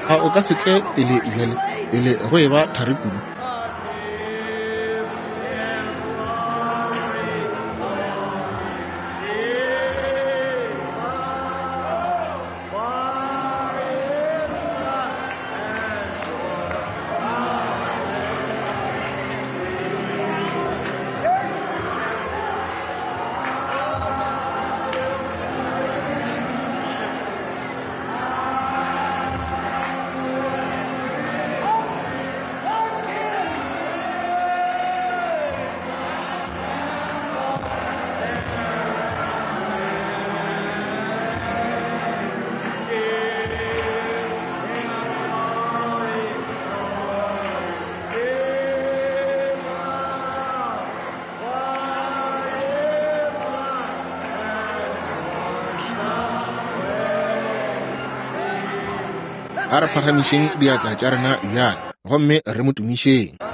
A: A o ka se tle pele bjale, pele go eba thari kudu? A re phagamišeng diatla tša rena bjale gomme re mo tumišeng.